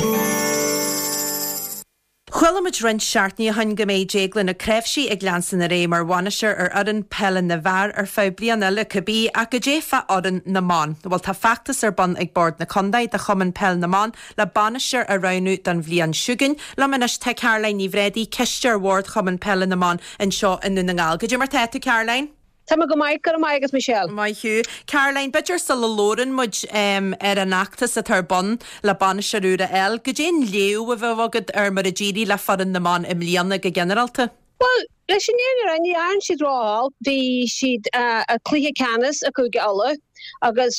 A: Chuala muid roinnt seachtainí ó shin go mbeidh Déaglán Ó Cnáimhsí ag leanstan ar aghaidh mar bhainisteoir ar fhoireann peile na bhfear ar feadh bliana eile cibé, ach goidé fá fhoireann na mban. Bhuel tá feachtas ar bun ag Bord na Contae do Chumann Peil na mBan le bainisteoir a roghnú don bhliain seo chugainn. Liom anois tá Caroline Ní Bhréadaí, cisteoir Bhord Chumann Peile na mBan anseo i nDún na nGall. Goidé mar tá tú Caroline?
H: Tá mé go maith, go raibh maith agat Michelle.
A: Maith thú. Caroline, b'fhéidir sula labhrann muid ar an fheachtas atá ar bun le bainisteoir úr a fháil, goidé an léamh a bheadh agat ar mar a d'éirigh le foireann na mban i mbliana go ginearálta?
H: Bhuel, leis an fhírinne a rá, ní dhearn siad ró-olc. Bhí siad i cluiche ceannais i Cúige Uladh agus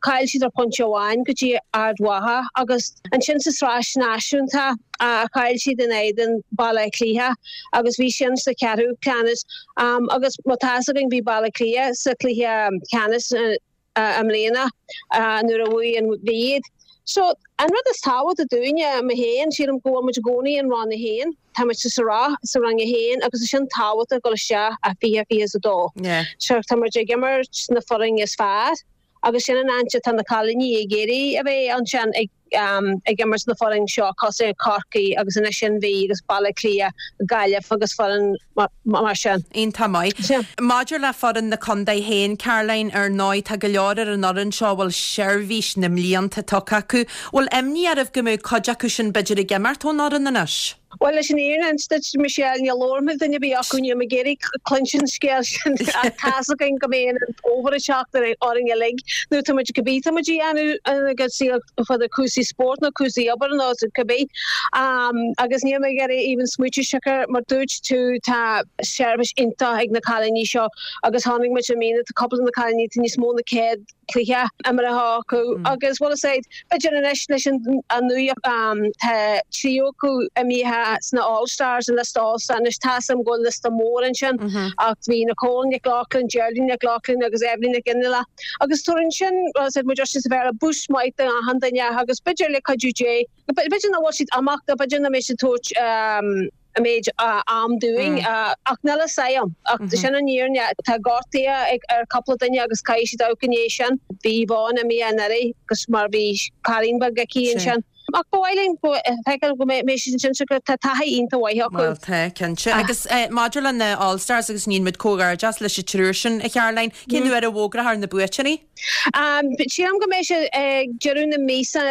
H: chaill siad ar phointe amháin go dtí Ard Mhacha agus ansin sa tsraith náisiúnta chaill siad in éadan Baile Átha Cliath agus bhí sin sa cheathrú ceannais agus má tá fhios againn bhí Baile Átha Cliath sa chluiche ceannais i mbliana nuair a bhuaigh an Mhí iad. So an rud is tábhachtaí dúinne, mé féin, sílim go bhfuil muid i gcónaí in Roinn a haon, tá muid sa sraith sa Roinn a haon agus é sin tábhachtach dul isteach i fiche fiche is a dó. So tá muid ag imirt na foireann is fearr agus sin an áit atá na cailíní ag iarraidh a bheith ansin ag ag imirt na foireann seo cosúil Corcaigh agus anois an Mhí agus Baile Átha Cliath, Gaillimh agus foireann mar sin.
A: Iontach maith. Maidir le foireann na contae féin, Caroline, ar ndóigh tá go leor ar an fhoireann seo a bhfuil seirbhís na mblianta tugtha acu. Bhfuil imní oraibh go mbeadh cuid acu sin b'fhéidir ag imeacht ón fhoireann anois?
H: Bhuel, leis an fhírinne a insint duit, Michelle, ní labhair mé le duine ar bith acu, níl mé ag iarraidh cluinstin an scéal sin ach tá's againn go mbeidh an fómhar ag teacht orainn uilig nuair tá muid cibé tá muid a dhéanamh ina gcuid saoil fá dtaobh cúrsaí spóirt nó cúrsaí obair nó cibé agus níl mé ag iarraidh even smaoitiú siocair mar dúirt tú tá seirbhís iontach ag na cailíní seo agus tháinig muid i mbliana tá cúpla de na cailíní tá níos mó na céad cluiche imeartha acu agus bhuel is é b'fhéidir anois leis an nuaíocht tá triúr acu imithe sna All Stars an liosta All Star anois tá 'fhios a'm go bhfuil liosta mór ansin ach bhí Nicole Nic Lochlainn, Geraldine Nic Lochlainn agus Eibhlín Nic Fhionnghaile agus tabharann sin bhuel is muid sa Bhéarla boost maith do achan duine agus b'fhéidir le cuidiú Dé b'fhéidir nach bhfuil siad ag imeacht b'fhéidir nach mbeidh siad tabhairt an méid am dúinn ach níl fhios a'm ach sin an fhírinne tá gortuithe ag ar cúpla duine agus caithfidh siad amharc i ndiaidh sin. Bhí Yvonne imithe anuraidh agus mar bhí cailín beag aici ansin. Ach ba mhaith linn go feiceáil go mbeidh siad ansin siocair tá taithí iontach mhaith acu.
A: Bhuel tá, cinnte. Agus maidir le na All Stars agus níonn muid comhghairdeas leis an triúr sin, a Charoline, cén uair a bhfógrófar na buaiteoirí?
H: Sílim go mbeidh sé ag deireadh na míosa,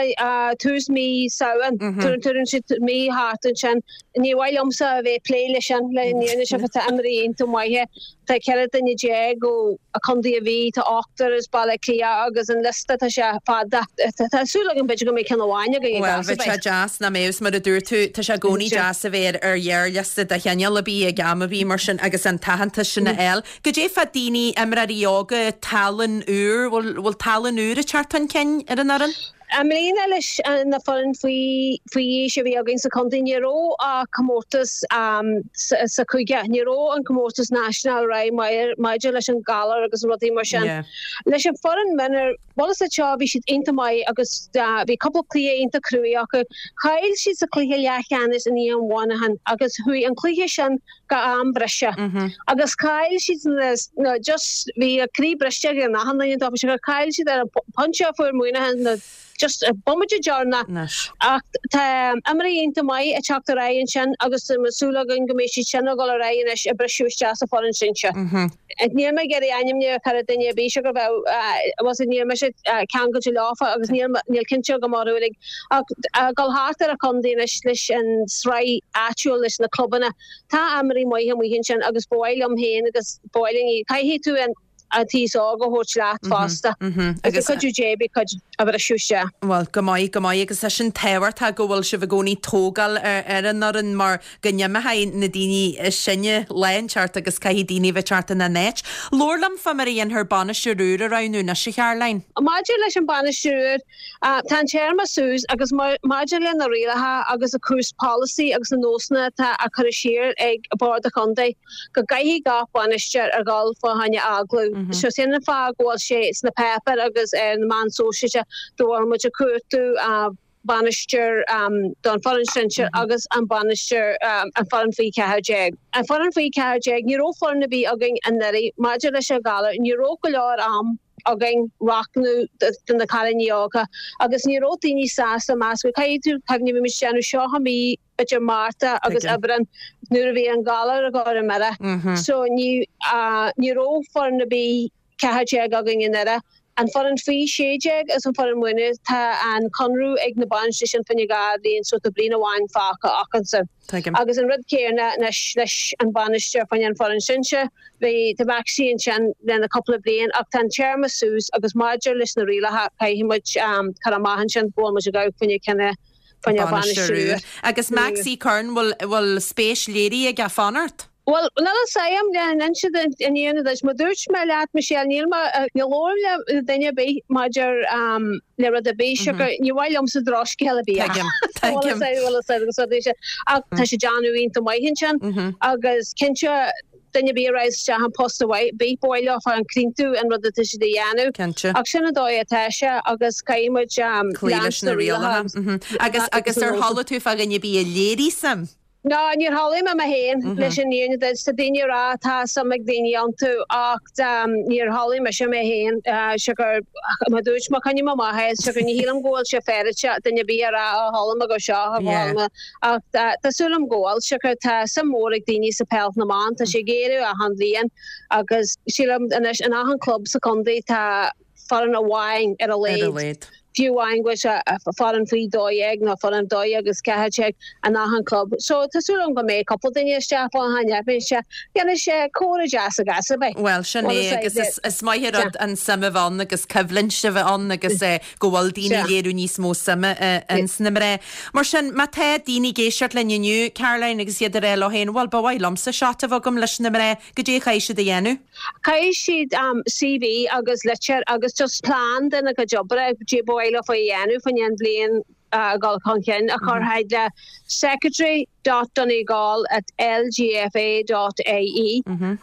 H: tús mí Samhain. Tuairim siad mí thart ansin. Ní mhaith liomsa a bheith ag plé leis sin, le an fhírinne siocair tá imreoirí iontach maithe. Tá ceithre duine déag ó Chontae an Mhí, tá ochtar as Baile Átha Cliath agus an liosta tá sé fada. Tá súil agam b'fhéidir go mbeidh ceann amháin againn ag
A: Bhuel, bheadh sé deas nach mbeadh, mar a dúirt tú, tá sé i gcónaí deas a bheith ar ghearrliosta de chineál ar bith ag am ar bith mar sin agus an t-aitheantas sin a fháil. Goidé fá daoine, imreoirí óga, tallann úr, bhfuil bhfuil tallann úr ag teacht chun cinn ar an fhoireann?
H: I mbliana leis na foireann faoi faoi aois a bhí againn sa chontae ní raibh ach comórtas sa chúige, ní raibh an comórtas national right maidir leis an galar agus rudaí mar sin. Leis an foireann mionúir, bhuel is seo bhí siad iontach maith agus bhí cúpla cluiche iontach cruaidh acu. Chaill siad sa chluiche leathcheannais in aghaidh Mhuineacháin agus chuaigh an cluiche sin go am breise agus chaill siad na just bhí a croí briste ag an achan duine dóibh gur chaill siad ar an pointe a fuair Muineachán na just bomaite deireanach. Ach tá imreoirí iontach maith ag teacht ar aghaidh ansin agus tá súil againn go mbeidh siad sin ag dul ar aghaidh anois ag briseadh isteach sa foireann sinsir. Níl mé ag iarraidh ainmniú a chur ar duine ar bith siocair bheadh was níl mise ceangailte leofa agus níl níl cinnte agam orthu uilig ach ag dul thart ar an chontae anois leis an sraith áitiúil leis na clubanna tá imreoirí maithe amuigh ansin agus ba mhaith liom féin agus ba mhaith linn caithfidh tú an an t-aos óg a thabhairt leat fosta. Agus cuidiú Dé beidh cuid a bhriseadh isteach.
A: Bhuel, go maith, go maith agus tá sin tábhachtach go bhfuil sibh i gcónaí tógáil ar an fhoireann mar go n-imeoidh na daoine is sine lá inteacht agus caithfidh daoine bheith teacht ina n-áit. Labhair liom fá mar a dhéanfar bainisteoir úr a roghnú anois, a Charoline.
H: Maidir leis an bainisteoir úr, tá an téarma suas agus maidir le na rialacha agus an cúrsa polasaí agus na nósanna atá á cur siar ag Bord an Chontae, go gcaithfidh gach bainisteoir a dhul fá choinne agallamh. So sin an fáth go bhfuil sé sna páipéir agus ar na meáin sóisialta go bhfuil muid ag cuartú bainisteoir don foireann sinsir agus an bainisteoir an foireann faoi ceathair déag. An foireann faoi ceathair déag, ní raibh foireann ar bith againn anuraidh maidir leis an ghalar, ní raibh go leor am againn roghnú do na cailíní óga agus ní raibh daoine sásta meascadh. Caithfidh tú cuimhneamh bhí muid ag déanamh seo i mí idir Márta agus Aibreán nuair a bhí an galar ag cur i mire. So ní ní raibh foireann ar bith ceathair déag againn anuraidh. An foireann faoi sé déag agus an foireann mionúir tá an conradh ag na bainisteoirí sin fá choinne dhá bhliain so tá bliain amháin fágtha acusan. Agus an rud céanna anois leis an bainisteoir fá choinne an foireann sinsir. Bhí tá Maxie ansin lena cúpla bliain ach tá an téarma suas agus maidir leis na rialacha caithfidh muid cur amach ansin go bhfuil muid ag gabháil fá choinne cinneadh fá choinne bainisteoir úr.
A: Agus Maxie Curran, bhfuil bhfuil spéis léirithe aige fanacht?
H: Bhuel, níl a fhios agam le n-inse an fhírinne duit. Mar dúirt mé leat, Michelle, níl mé, ní labhraím le duine ar bith maidir le rud ar bith, siocair ní mhaith liomsa drochscéal ar bith a Tuigim, tuigim. Ach tá sé déanamh iontach maith ansin agus cinnte duine ar bith a raghaidh isteach an post ar bith, ba mhaith leofa an comhaontú an rud atá siad a dhéanamh.
A: Cinnte.
H: Ach sin an dóigh atá sé agus caithfidh muid
A: Cloí leis
H: leanstan
A: na
H: na rialacha
A: rialacha. Agus agus ar chuala tú fá dhuine ar bith a léirigh suim?
H: Ná, níor chuala mé mé féin leis an fhírinne duit. Tá daoine ag rá tá suim ag daoine iontu ach níor chuala mise mé féin siocair mar dúirt mé coinním amach é siocair ní shílim go bhfuil sé féaráilte duine ar bith a rá ó chuala mé go seo ó chuala mé ach tá súil agam go bhfuil siocair tá suim mhór ag daoine sa peil na mban tá sé ag éirí achan bhliain agus sílim anois in achan club sa chontae tá foireann amháin ar a laghad. Fiú amháin go bhfuil sé foireann faoi dó dhéag nó foireann dó dhéag agus ceathair déag in achan club. So tá súil agam go mbeidh cúpla duine isteach fá choinne beidh sé dhéanfaidh sé comhrá deas agus a bheith.
A: Bhuel sin é agus is is maith an rud an suim a bheith ann agus coimhlint a bheith ann agus go bhfuil daoine ag léiriú níos mó suime ins na mná. Mar sin má tá daoine ag éisteacht linn inniu, Caroline, agus iad ag rá leo féin, bhuel ba mhaith liomsa seat a bheith agam leis na mná, goidé a chaithfidh siad a dhéanamh?
H: Caithfidh siad CV agus litir agus just plean dena gcuid obre goidé ba mhaith leofa a dhéanamh fá choinne an bhliain a dhul chun cinn a chur chuig le secretary dot donegal at lgfa dot ie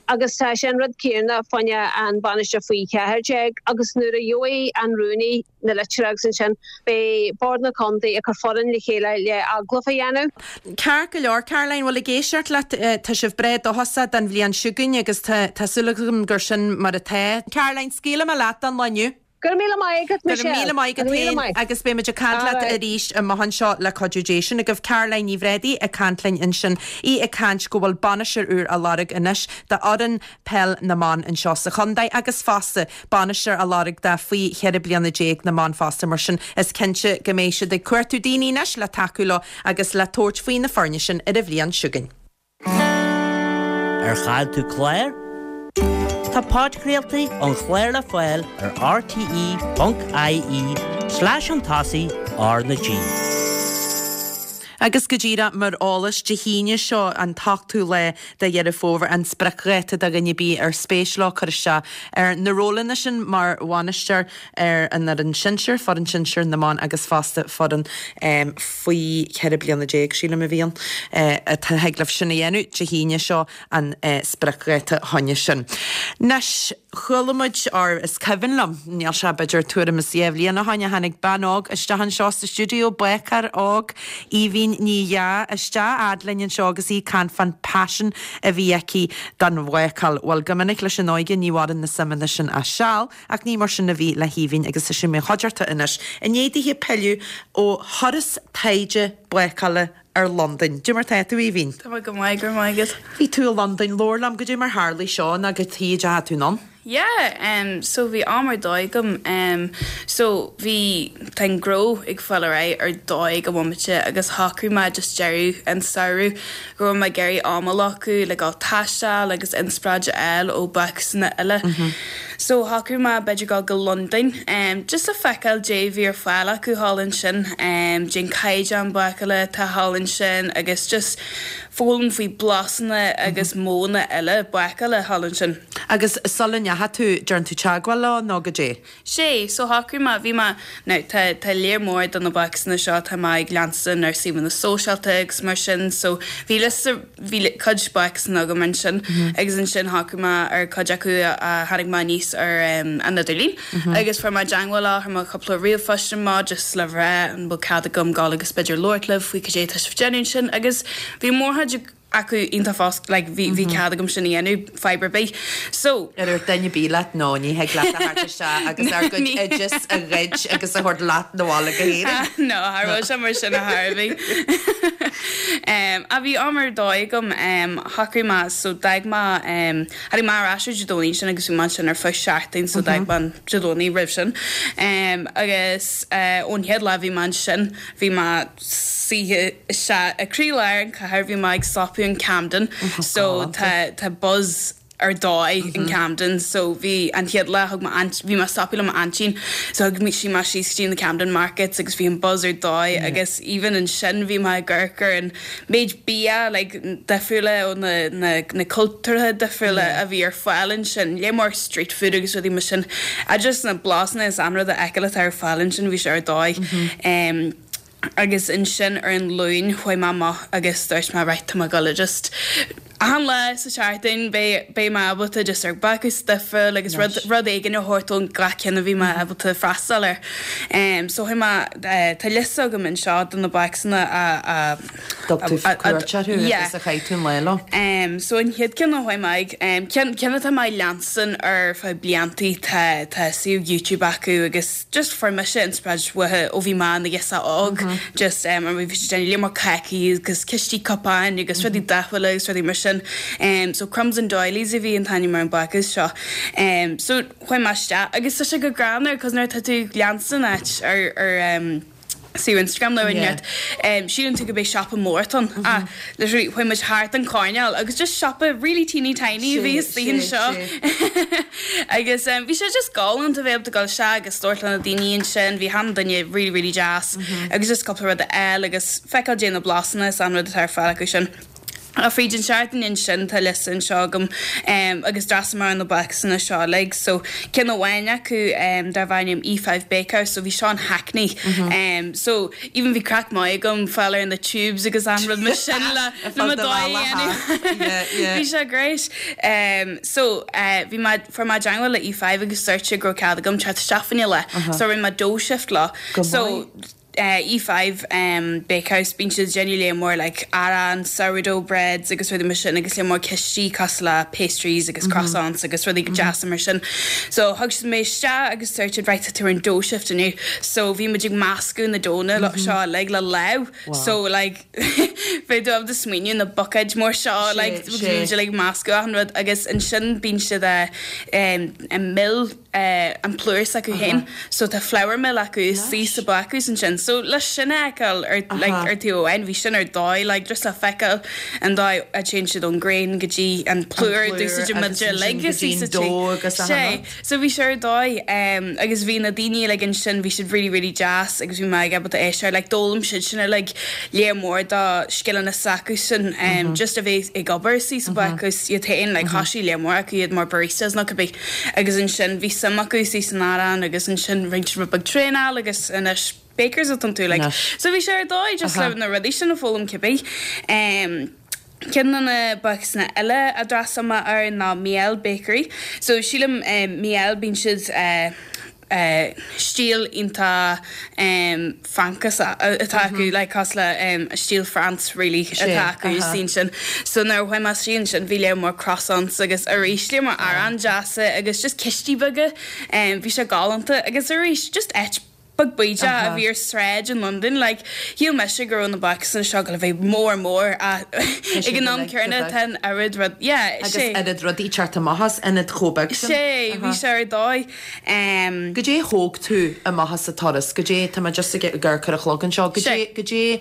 H: agus tá sé an rud céanna fá choinne an bainisteoir faoi cheathair déag agus nuair a gheobhaidh an rúnaí na litreacha agus ansin beidh Bord na Contae ag cur foireann le chéile le agallamh a dhéanamh.
A: Ceart go leor, Caroline, bhuel ag éisteacht leat, tá sibh breá dóchasach don bhliain seo chugainn agus tá tá súil agam gur sin mar atá. Caroline, scaoilfidh mé leat don lá inniu.
H: Go raibh míle maith agat,
A: Go raibh
H: Michelle.
A: míle maith agat
H: Go raibh míle
A: féin
H: maith.
A: agus beidh muid ag caint leat
H: Alright.
A: arís amach anseo le cuidiú Dé. Sin agaibh Caroline Ní Bhréadaí ag caint linn ansin. Í ag caint go bhfuil bainisteoir úr á lorg anois d'fhoireann peil na mban anseo sa chontae agus fosta bainisteoir á lorg do faoi cheithre bliana déag na mban fosta mar sin is cinnte go mbeidh siad ag cuartú daoine anois le tacú leo agus le tabhairt faoi na foirne sin ar an bhliain seo chugainn.
C: Ar chaill tú clár? Tá podchraoltaí an chláir le fáil ar rte.ie slash an tosaigh R na G.
A: Agus go díreach mar eolas Dé hAoine seo an t-ochtú lá de Dheireadh Fómhair an spriocdháta do dhuine ar bith ar spéis leo cur isteach ar na rólanna sin mar bhainisteoir ar an fhoireann sinsir, foireann sinsir na mban agus fosta foireann um, faoi cheithre bliana déag sílim a bhíonn uh, atá thig libh sin a dhéanamh Dé hAoine seo an uh, spriocdháta choinne sin. Anois chuala muid ar is cuimhin liom níl sé b'fhéidir tuairim is dhá bhliain ó shin a tháinig bean óg isteach anseo sa stiúideo bácáir óg Aoibhín Ní Dheá isteach fhad linn anseo agus í ag caint fán paisean a bhí aici don bhácáil. Bhuel go minic leis an óige ní mhaireann na suimeanna sin ach seal ach ní mar sin a bhí le hAoibhín agus is í mo chuideachta anois. I ndiaidh dithe pilleadh ó thuras taighde bácála ar Londain. Cad é mar tá tú Aoibhín?
I: Tá go maith go maith agat.
A: Bhí tú i Londain labhair liom cad é mar tharla seo ná go tíide tú ann?
I: Yeah, um, so bhí am ar dóigh agam um, so bhí tá an gnó ag fáil ar aghaidh ar dóigh go bhmaite agus shocraigh mé just deireadh an samhradh go raibh mé ag iarraidh am a ghlacadh le gabháil taisteal agus inspioráid a fháil ó bhácásanna eile. Mm -hmm. So shocraigh mé b'fhéidir gabháil go Londain um, just le feiceáil cad é bhí ar fáil acu thall ansin um, cén caighdeán bácála atá thall ansin agus just foghlaim faoi blasanna agus mm -hmm. modhanna eile bácála thall ansin.
A: Agus sula ndeachaigh tú déan tú teagmháil leo nó cad é.
I: Sé, so shocraigh mé bhí mé no, tá tá léir mór do na bácásanna seo tá mé ag leanstan ar suíomhanna sóisialta agus mar sin, so bhí liosta bhí cuid bácásanna agam ansin mm -hmm. agus ansin shocraigh mé ar cuid acu a tháinig mé aníos ar um, an idirlíon mm -hmm. agus fuair mé teagmháil leo chuir mé cúpla ríomhphost amach just le rá an bhfuil cead agam gabháil agus b'fhéidir labhairt libh faoi cad é tá sibh ag déanamh ansin agus bhí mórchuid acu iontach fós like, bhí bhí cead agam sin a dhéanamh fadhb ar bith. So
A: Ar ar duine bí leat nó ní thig leat a theacht isteach agus ár gcuid oideas a ghoid agus a thabhairt leat 'na bhaile go hÉirinn.
I: No, cha raibh sé mar sin a Harvey. um, a bhí am ar dóigh agam um, shocraigh mé so d'fhág mé um, tháinig mé ar ais ar Dé Domhnaigh sin agus bhí mé sin ar feadh seachtain so d'fhág mé an Dé Domhnaigh roimh sin. Um, agus uh, ón chéad lá bhí mé ansin bhí mé suite se i gcroílár an chathair bhí mé ag stopadh in Camden so tá tá buzz ar dóigh in Camden so bhí an chéad lá thug bhí mé stopadh le m'aintín so thug sí mé síos dtí na Camden Markets agus bhí an buzz ar dóigh yeah. agus even ansin bhí mé ag amharc ar an méid bia like, difriúla ó na, na, na cultúrtha difriúla yeah. a bhí ar fáil ansin le mór street food agus rudaí mar sin a just na blasanna is anrud a fheiceáil atá ar fáil ansin bhí sé ar dóigh. Mm -hmm. um, agus ansin ar an Luan chuaigh mé amach agus dúirt mé right tá mé ag gabháil just an lá sa seachtain beidh mé ábalta just ar bácús difriúil agus rud rud éigin a thabhairt ón gach ceann a bhí mé ábalta freastal air. Um, so chuaigh mé uh, tá liosta agam anseo de na bácásanna a a
A: Thug tú cuairt orthu agus a chaith tú an lá leo.
I: Um, so an chéad ceann a chuaigh mé ag um, ceann ceann atá mé leanstan ar feadh bliantaí tá tá suíomh YouTube acu agus just fuair mise inspioráid uathu ó bhí mé ina ghirseach óg mm -hmm. just um, ar bhí sé le mar cácaí agus cistí cupáin agus rudaí dathúla agus rudaí mar sin. Um, so Crumbs and Doilies a bhí an t-ainm ar an bácús seo. Um, so chuaigh mé isteach agus tá sé go greannmhar cos nuair tá tú leanstan áit ar ar um, suíomh Instagram le yeah. um, síleann tú go mbeidh siopa mór ann mm -hmm. ah, literally chuaigh muid thart an coirnéal agus just siopa really teeny tiny bhí istigh seo agus um, bhí sé just galánta bheith ag dul isteach agus labhairt le na daoine ansin bhí an duine really really deas mm -hmm. agus just cúpla rud eile agus feiceáil cad é na blasanna is an rud atá ar fáil acu sin. A fríd an seachtain ansin tá liosta anseo agam um, agus d'fhreastail mé ar na bácásanna seo like so ceann amháin acu um, darb ainm E five Bakehouse so bhí seo in Hackney mm -hmm. um, so even bhí craic maith agam fáil ar na tubes agus an rud mar sin le le bhí sé great um, so uh, bhí mé fuair mé teagmháil le E five agus dúirt sé go raibh cead agam teacht isteach le so rinne mé dough shift lá so E five Bakehouse bíonn siad déanamh lear mór like arán, sourdough breads agus rudaí mar sin agus lear mór cistí cosúil le pastries agus croissants agus rudaí go deasa mar sin. So thug siad mé isteach agus dúirt siad right tá tú ar an dough shift inniu. So bhí muid ag meascadh na doughanna seo uilig le lámh. So like bheadh tú ábalta smaoineamh na buicéid mór seo like bhí muid like meascadh achan rud agus ansin bíonn siad ag mill an plúr s'acu féin. So tá flour mill acu istigh sa bácús ansin. So le sin a fheiceáil ar like ar taobh amháin bhí sin ar dóigh like just le feiceáil an dóigh a dtéann siad ón grain go dtí an plúr d'úsáideann muid uilig istigh sa tigh. Sé. So bhí sé ar dóigh um, agus bhí na daoine like ansin bhí siad really really deas agus bhí mé ag ábalta éisteacht like d'fhoghlaim siad sin like lear mór dá scileanna s'acu sin um, just a bheith ag obair istigh sa bácús iad féin like thosaigh lear mór acu iad mar baristas nó cibé agus ansin bhí suim acu istigh san arán agus ansin rinne siad rud beag traenáil agus anois bakers atá iontu like. So bhí sé ar dóigh just le na rudaí sin a foghlaim cibé. Um, Ceann de na bácúsanna eile a d'fhreastail mé air ná Miel Bakery. So sílim um, Miel bíonn siad uh, uh, stíl iontach um, Francach atá acu like cosúil le um, stíl France really atá acu sin sin. So nuair a chuaigh mé isteach ansin bhí lear mór croissants agus arís lear mór arán deasa agus just cistí beaga um, bhí sé galánta agus arís just áit beag bídeach a bhí ar sráid in London like shíl mise go raibh na bácúsanna seo le bheith mór mór ag an am céanna tá an oiread rud yeah
A: Agus oiread rudaí teacht amach as ionad chomh beag sin.
I: Sé bhí sé ar dóigh. Um,
A: Goidé thóg tú amach as an turas, goidé tá mé just ag ag cur a chlog anseo, goidé goidé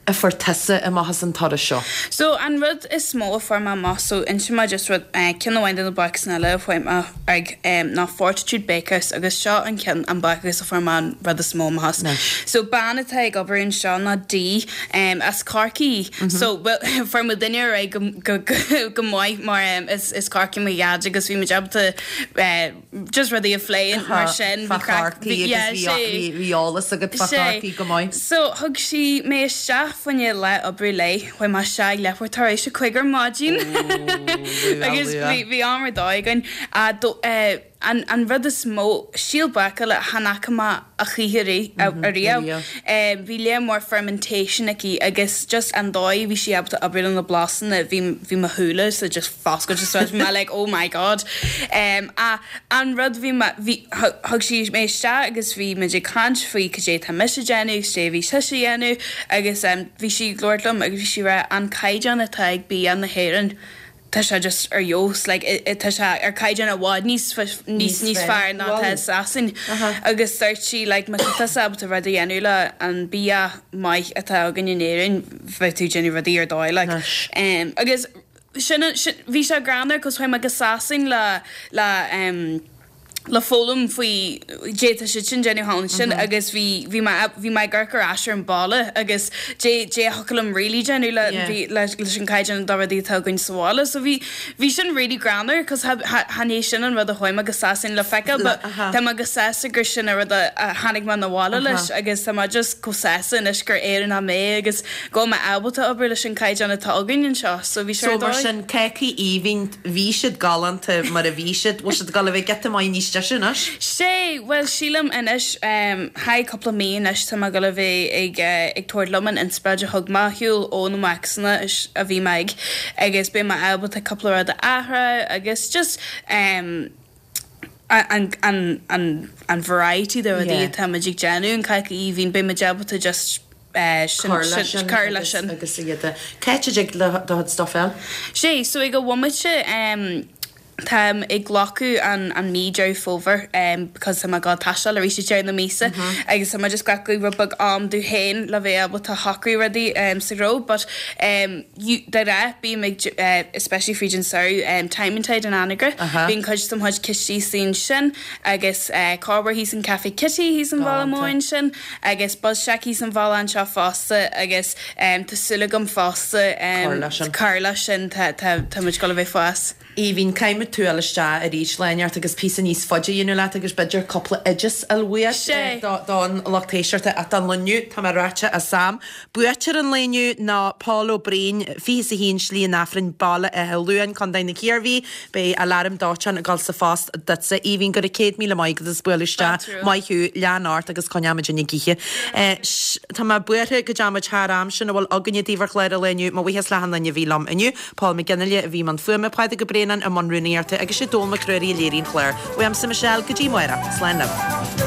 A: a fuair tusa amach as an turas seo?
I: So an rud is mó a fuair mé amach so inseoidh mé just rud eh, ceann amháin de na bácúsanna eile a fuair mé ag em, ná Fortitude Bakehouse agus seo an ceann an bácús a fuair mé an rud is mó amach as. So bean atá ag obair anseo ná Dee em, as Corcaigh. So well, fuair muid duine ar aghaidh go, go, go, go maith mar em, is, is Corcaigh mo dhaid agus bhí muid ábalta eh, just rudaí a phlé mar sin.
A: Fá
I: Bhí craic-
A: Chorcaigh
I: bhí- yeah,
A: agus bhí-
I: sé.
A: bhí bhí eolas agat fá
I: Sé.
A: Chorcaigh go maith.
I: So thug sí mé isteach fá choinne lá oibre léi, chuaigh mé isteach leathuair tar éis a cúig ar maidin agus bhí bhí am ar dóigh againn. A do- eh, an an rud is mó stíl bácála chan fhaca mé a choíche ariamh.
A: ariamh.
I: Eh, Bhí lear mór fermentation aici agus just an dóigh bhí sí ábalta obair na blasanna bhí bhí mo shúile so just foscailte so bhí mé like oh my god. Um, a an rud bhí mé- bhí thug thug sí mé isteach agus bhí muid ag caint faoi cad é tá mise ag déanamh agus cad é bhí sise ag déanamh agus um, bhí sí ag labhairt liom agus bhí sí rá an caighdeán atá ag bia na hÉireann tá sé just ar fheabhas like, i- i- tá sé ar caighdeán i bhfad níos fa- níos níos fearr ná tá Sasain agus dúirt sí like, má tá tusa ábalta rud a dhéanamh le an bia maith atá againn in Éirinn bheidh tú ag déanamh rudaí ar dóigh like. um, agus sin sin- bhí sé greannmhar cos chuaigh mé go Sasain le le um, le foghlaim faoi cad é tá siad sin déanamh thall ansin agus bhí bhí mé bhí mé ag amharc ar ais ar an bhaile agus dé dé thiocfadh liom really déanamh le
A: Yeah.
I: bhí leis leis an caighdeán de rudaí atá againn sa bhaile so bhí bhí sin really greannmhar cos chan é sin an rud a chuaigh mé go Sasain le feiceáil but
A: aha.
I: tá mé go sásta gur sin an rud a a tháinig mé abhaile leis agus tá mé just chomh sásta anois gur Éireannach mé agus go bhfuil mé ábalta obair leis an caighdeán atá againn anseo so bhí sé
A: So
I: ar
A: mar
I: dóigh.
A: sin cácaí aoibhinn bhí siad galánta mar a bhí siad, bhfuil siad ag dul a bheith giota maith níos deise anois?
I: Sé well sílim anois um, ha cúpla mí anois tá mé ag dul a bheith ag uh, ag tabhairt liom an inspioráid a thug mé ar shiúl ó na bácúsanna a bhí mé ag agus beidh mé ábalta cúpla rud a athrú agus just um, an, an, an, an variety de rudaí
A: Yeah.
I: atá muid ag déanamh an cáca aoibhinn beidh mé ábalta just uh, sin-
A: Cur leis
I: sin-
A: sin
I: cur leis
A: agus-
I: sin.
A: agus iad. Cá dtig le do chuid stuff fháil?
I: Sé, so ag an bhomaite um, Táim ag glacadh an an mí Deireadh Fómhair um, because tá mé ag taisteal arís ag deireadh na míosa agus tá mé just glacadh rud beag am domh féin le bheith ábalta shocrú rudaí um, sa ghnó, but um, you, de ghnáth bím ag uh, especially fríd an samhradh um, Time and Tide in Anagaire
A: Aha.
I: bíonn cuid de mo chuid cistí ansin agus uh, Corber thíos an Café Kitty thíos an bhaile
A: Galánta.
I: mór ansin agus Buzz Shack thíos an bhaile anseo fosta agus um, tá súil agam fosta um,
A: Cur leis sin.
I: cur leis sin tá tá tá muid ag dul a bheith fás.
A: Aoibhinn, caithfidh tú a fháil isteach arís lá inteacht agus píosa níos faide a dhéanamh leat agus b'fhéidir cúpla oideas a uait don lucht éisteachta ach don lá inniu, tá mé ráite as am. Buaiteoir an lae inniu ná Paul Ó Braoin, fiche is a haon Slí an Aifrinn, Baile Átha Luain, Contae na Ciarraí. Beidh aláram dóiteáin ag dul sa phost duitse. Aoibhinn, go raibh céad míle maith agat as bualadh isteach. Maith thú, lean ort agus coinneoimid ag ithe. Tá mé buartha go dtéimid thar am sin a bhfuil againne daoibh ar chlár an lae inniu. Mo bhuíochas le achan duine a bhí liom inniu, Paul Mac Fhionnghaile a bhí i mbun fuaime, Pádraig Ó Braonáin i mbun rúnaíochta agus sé Dónall Mac Ruairí a léirigh an clár. Uaimse Michelle, go dtí amárach. Slán libh.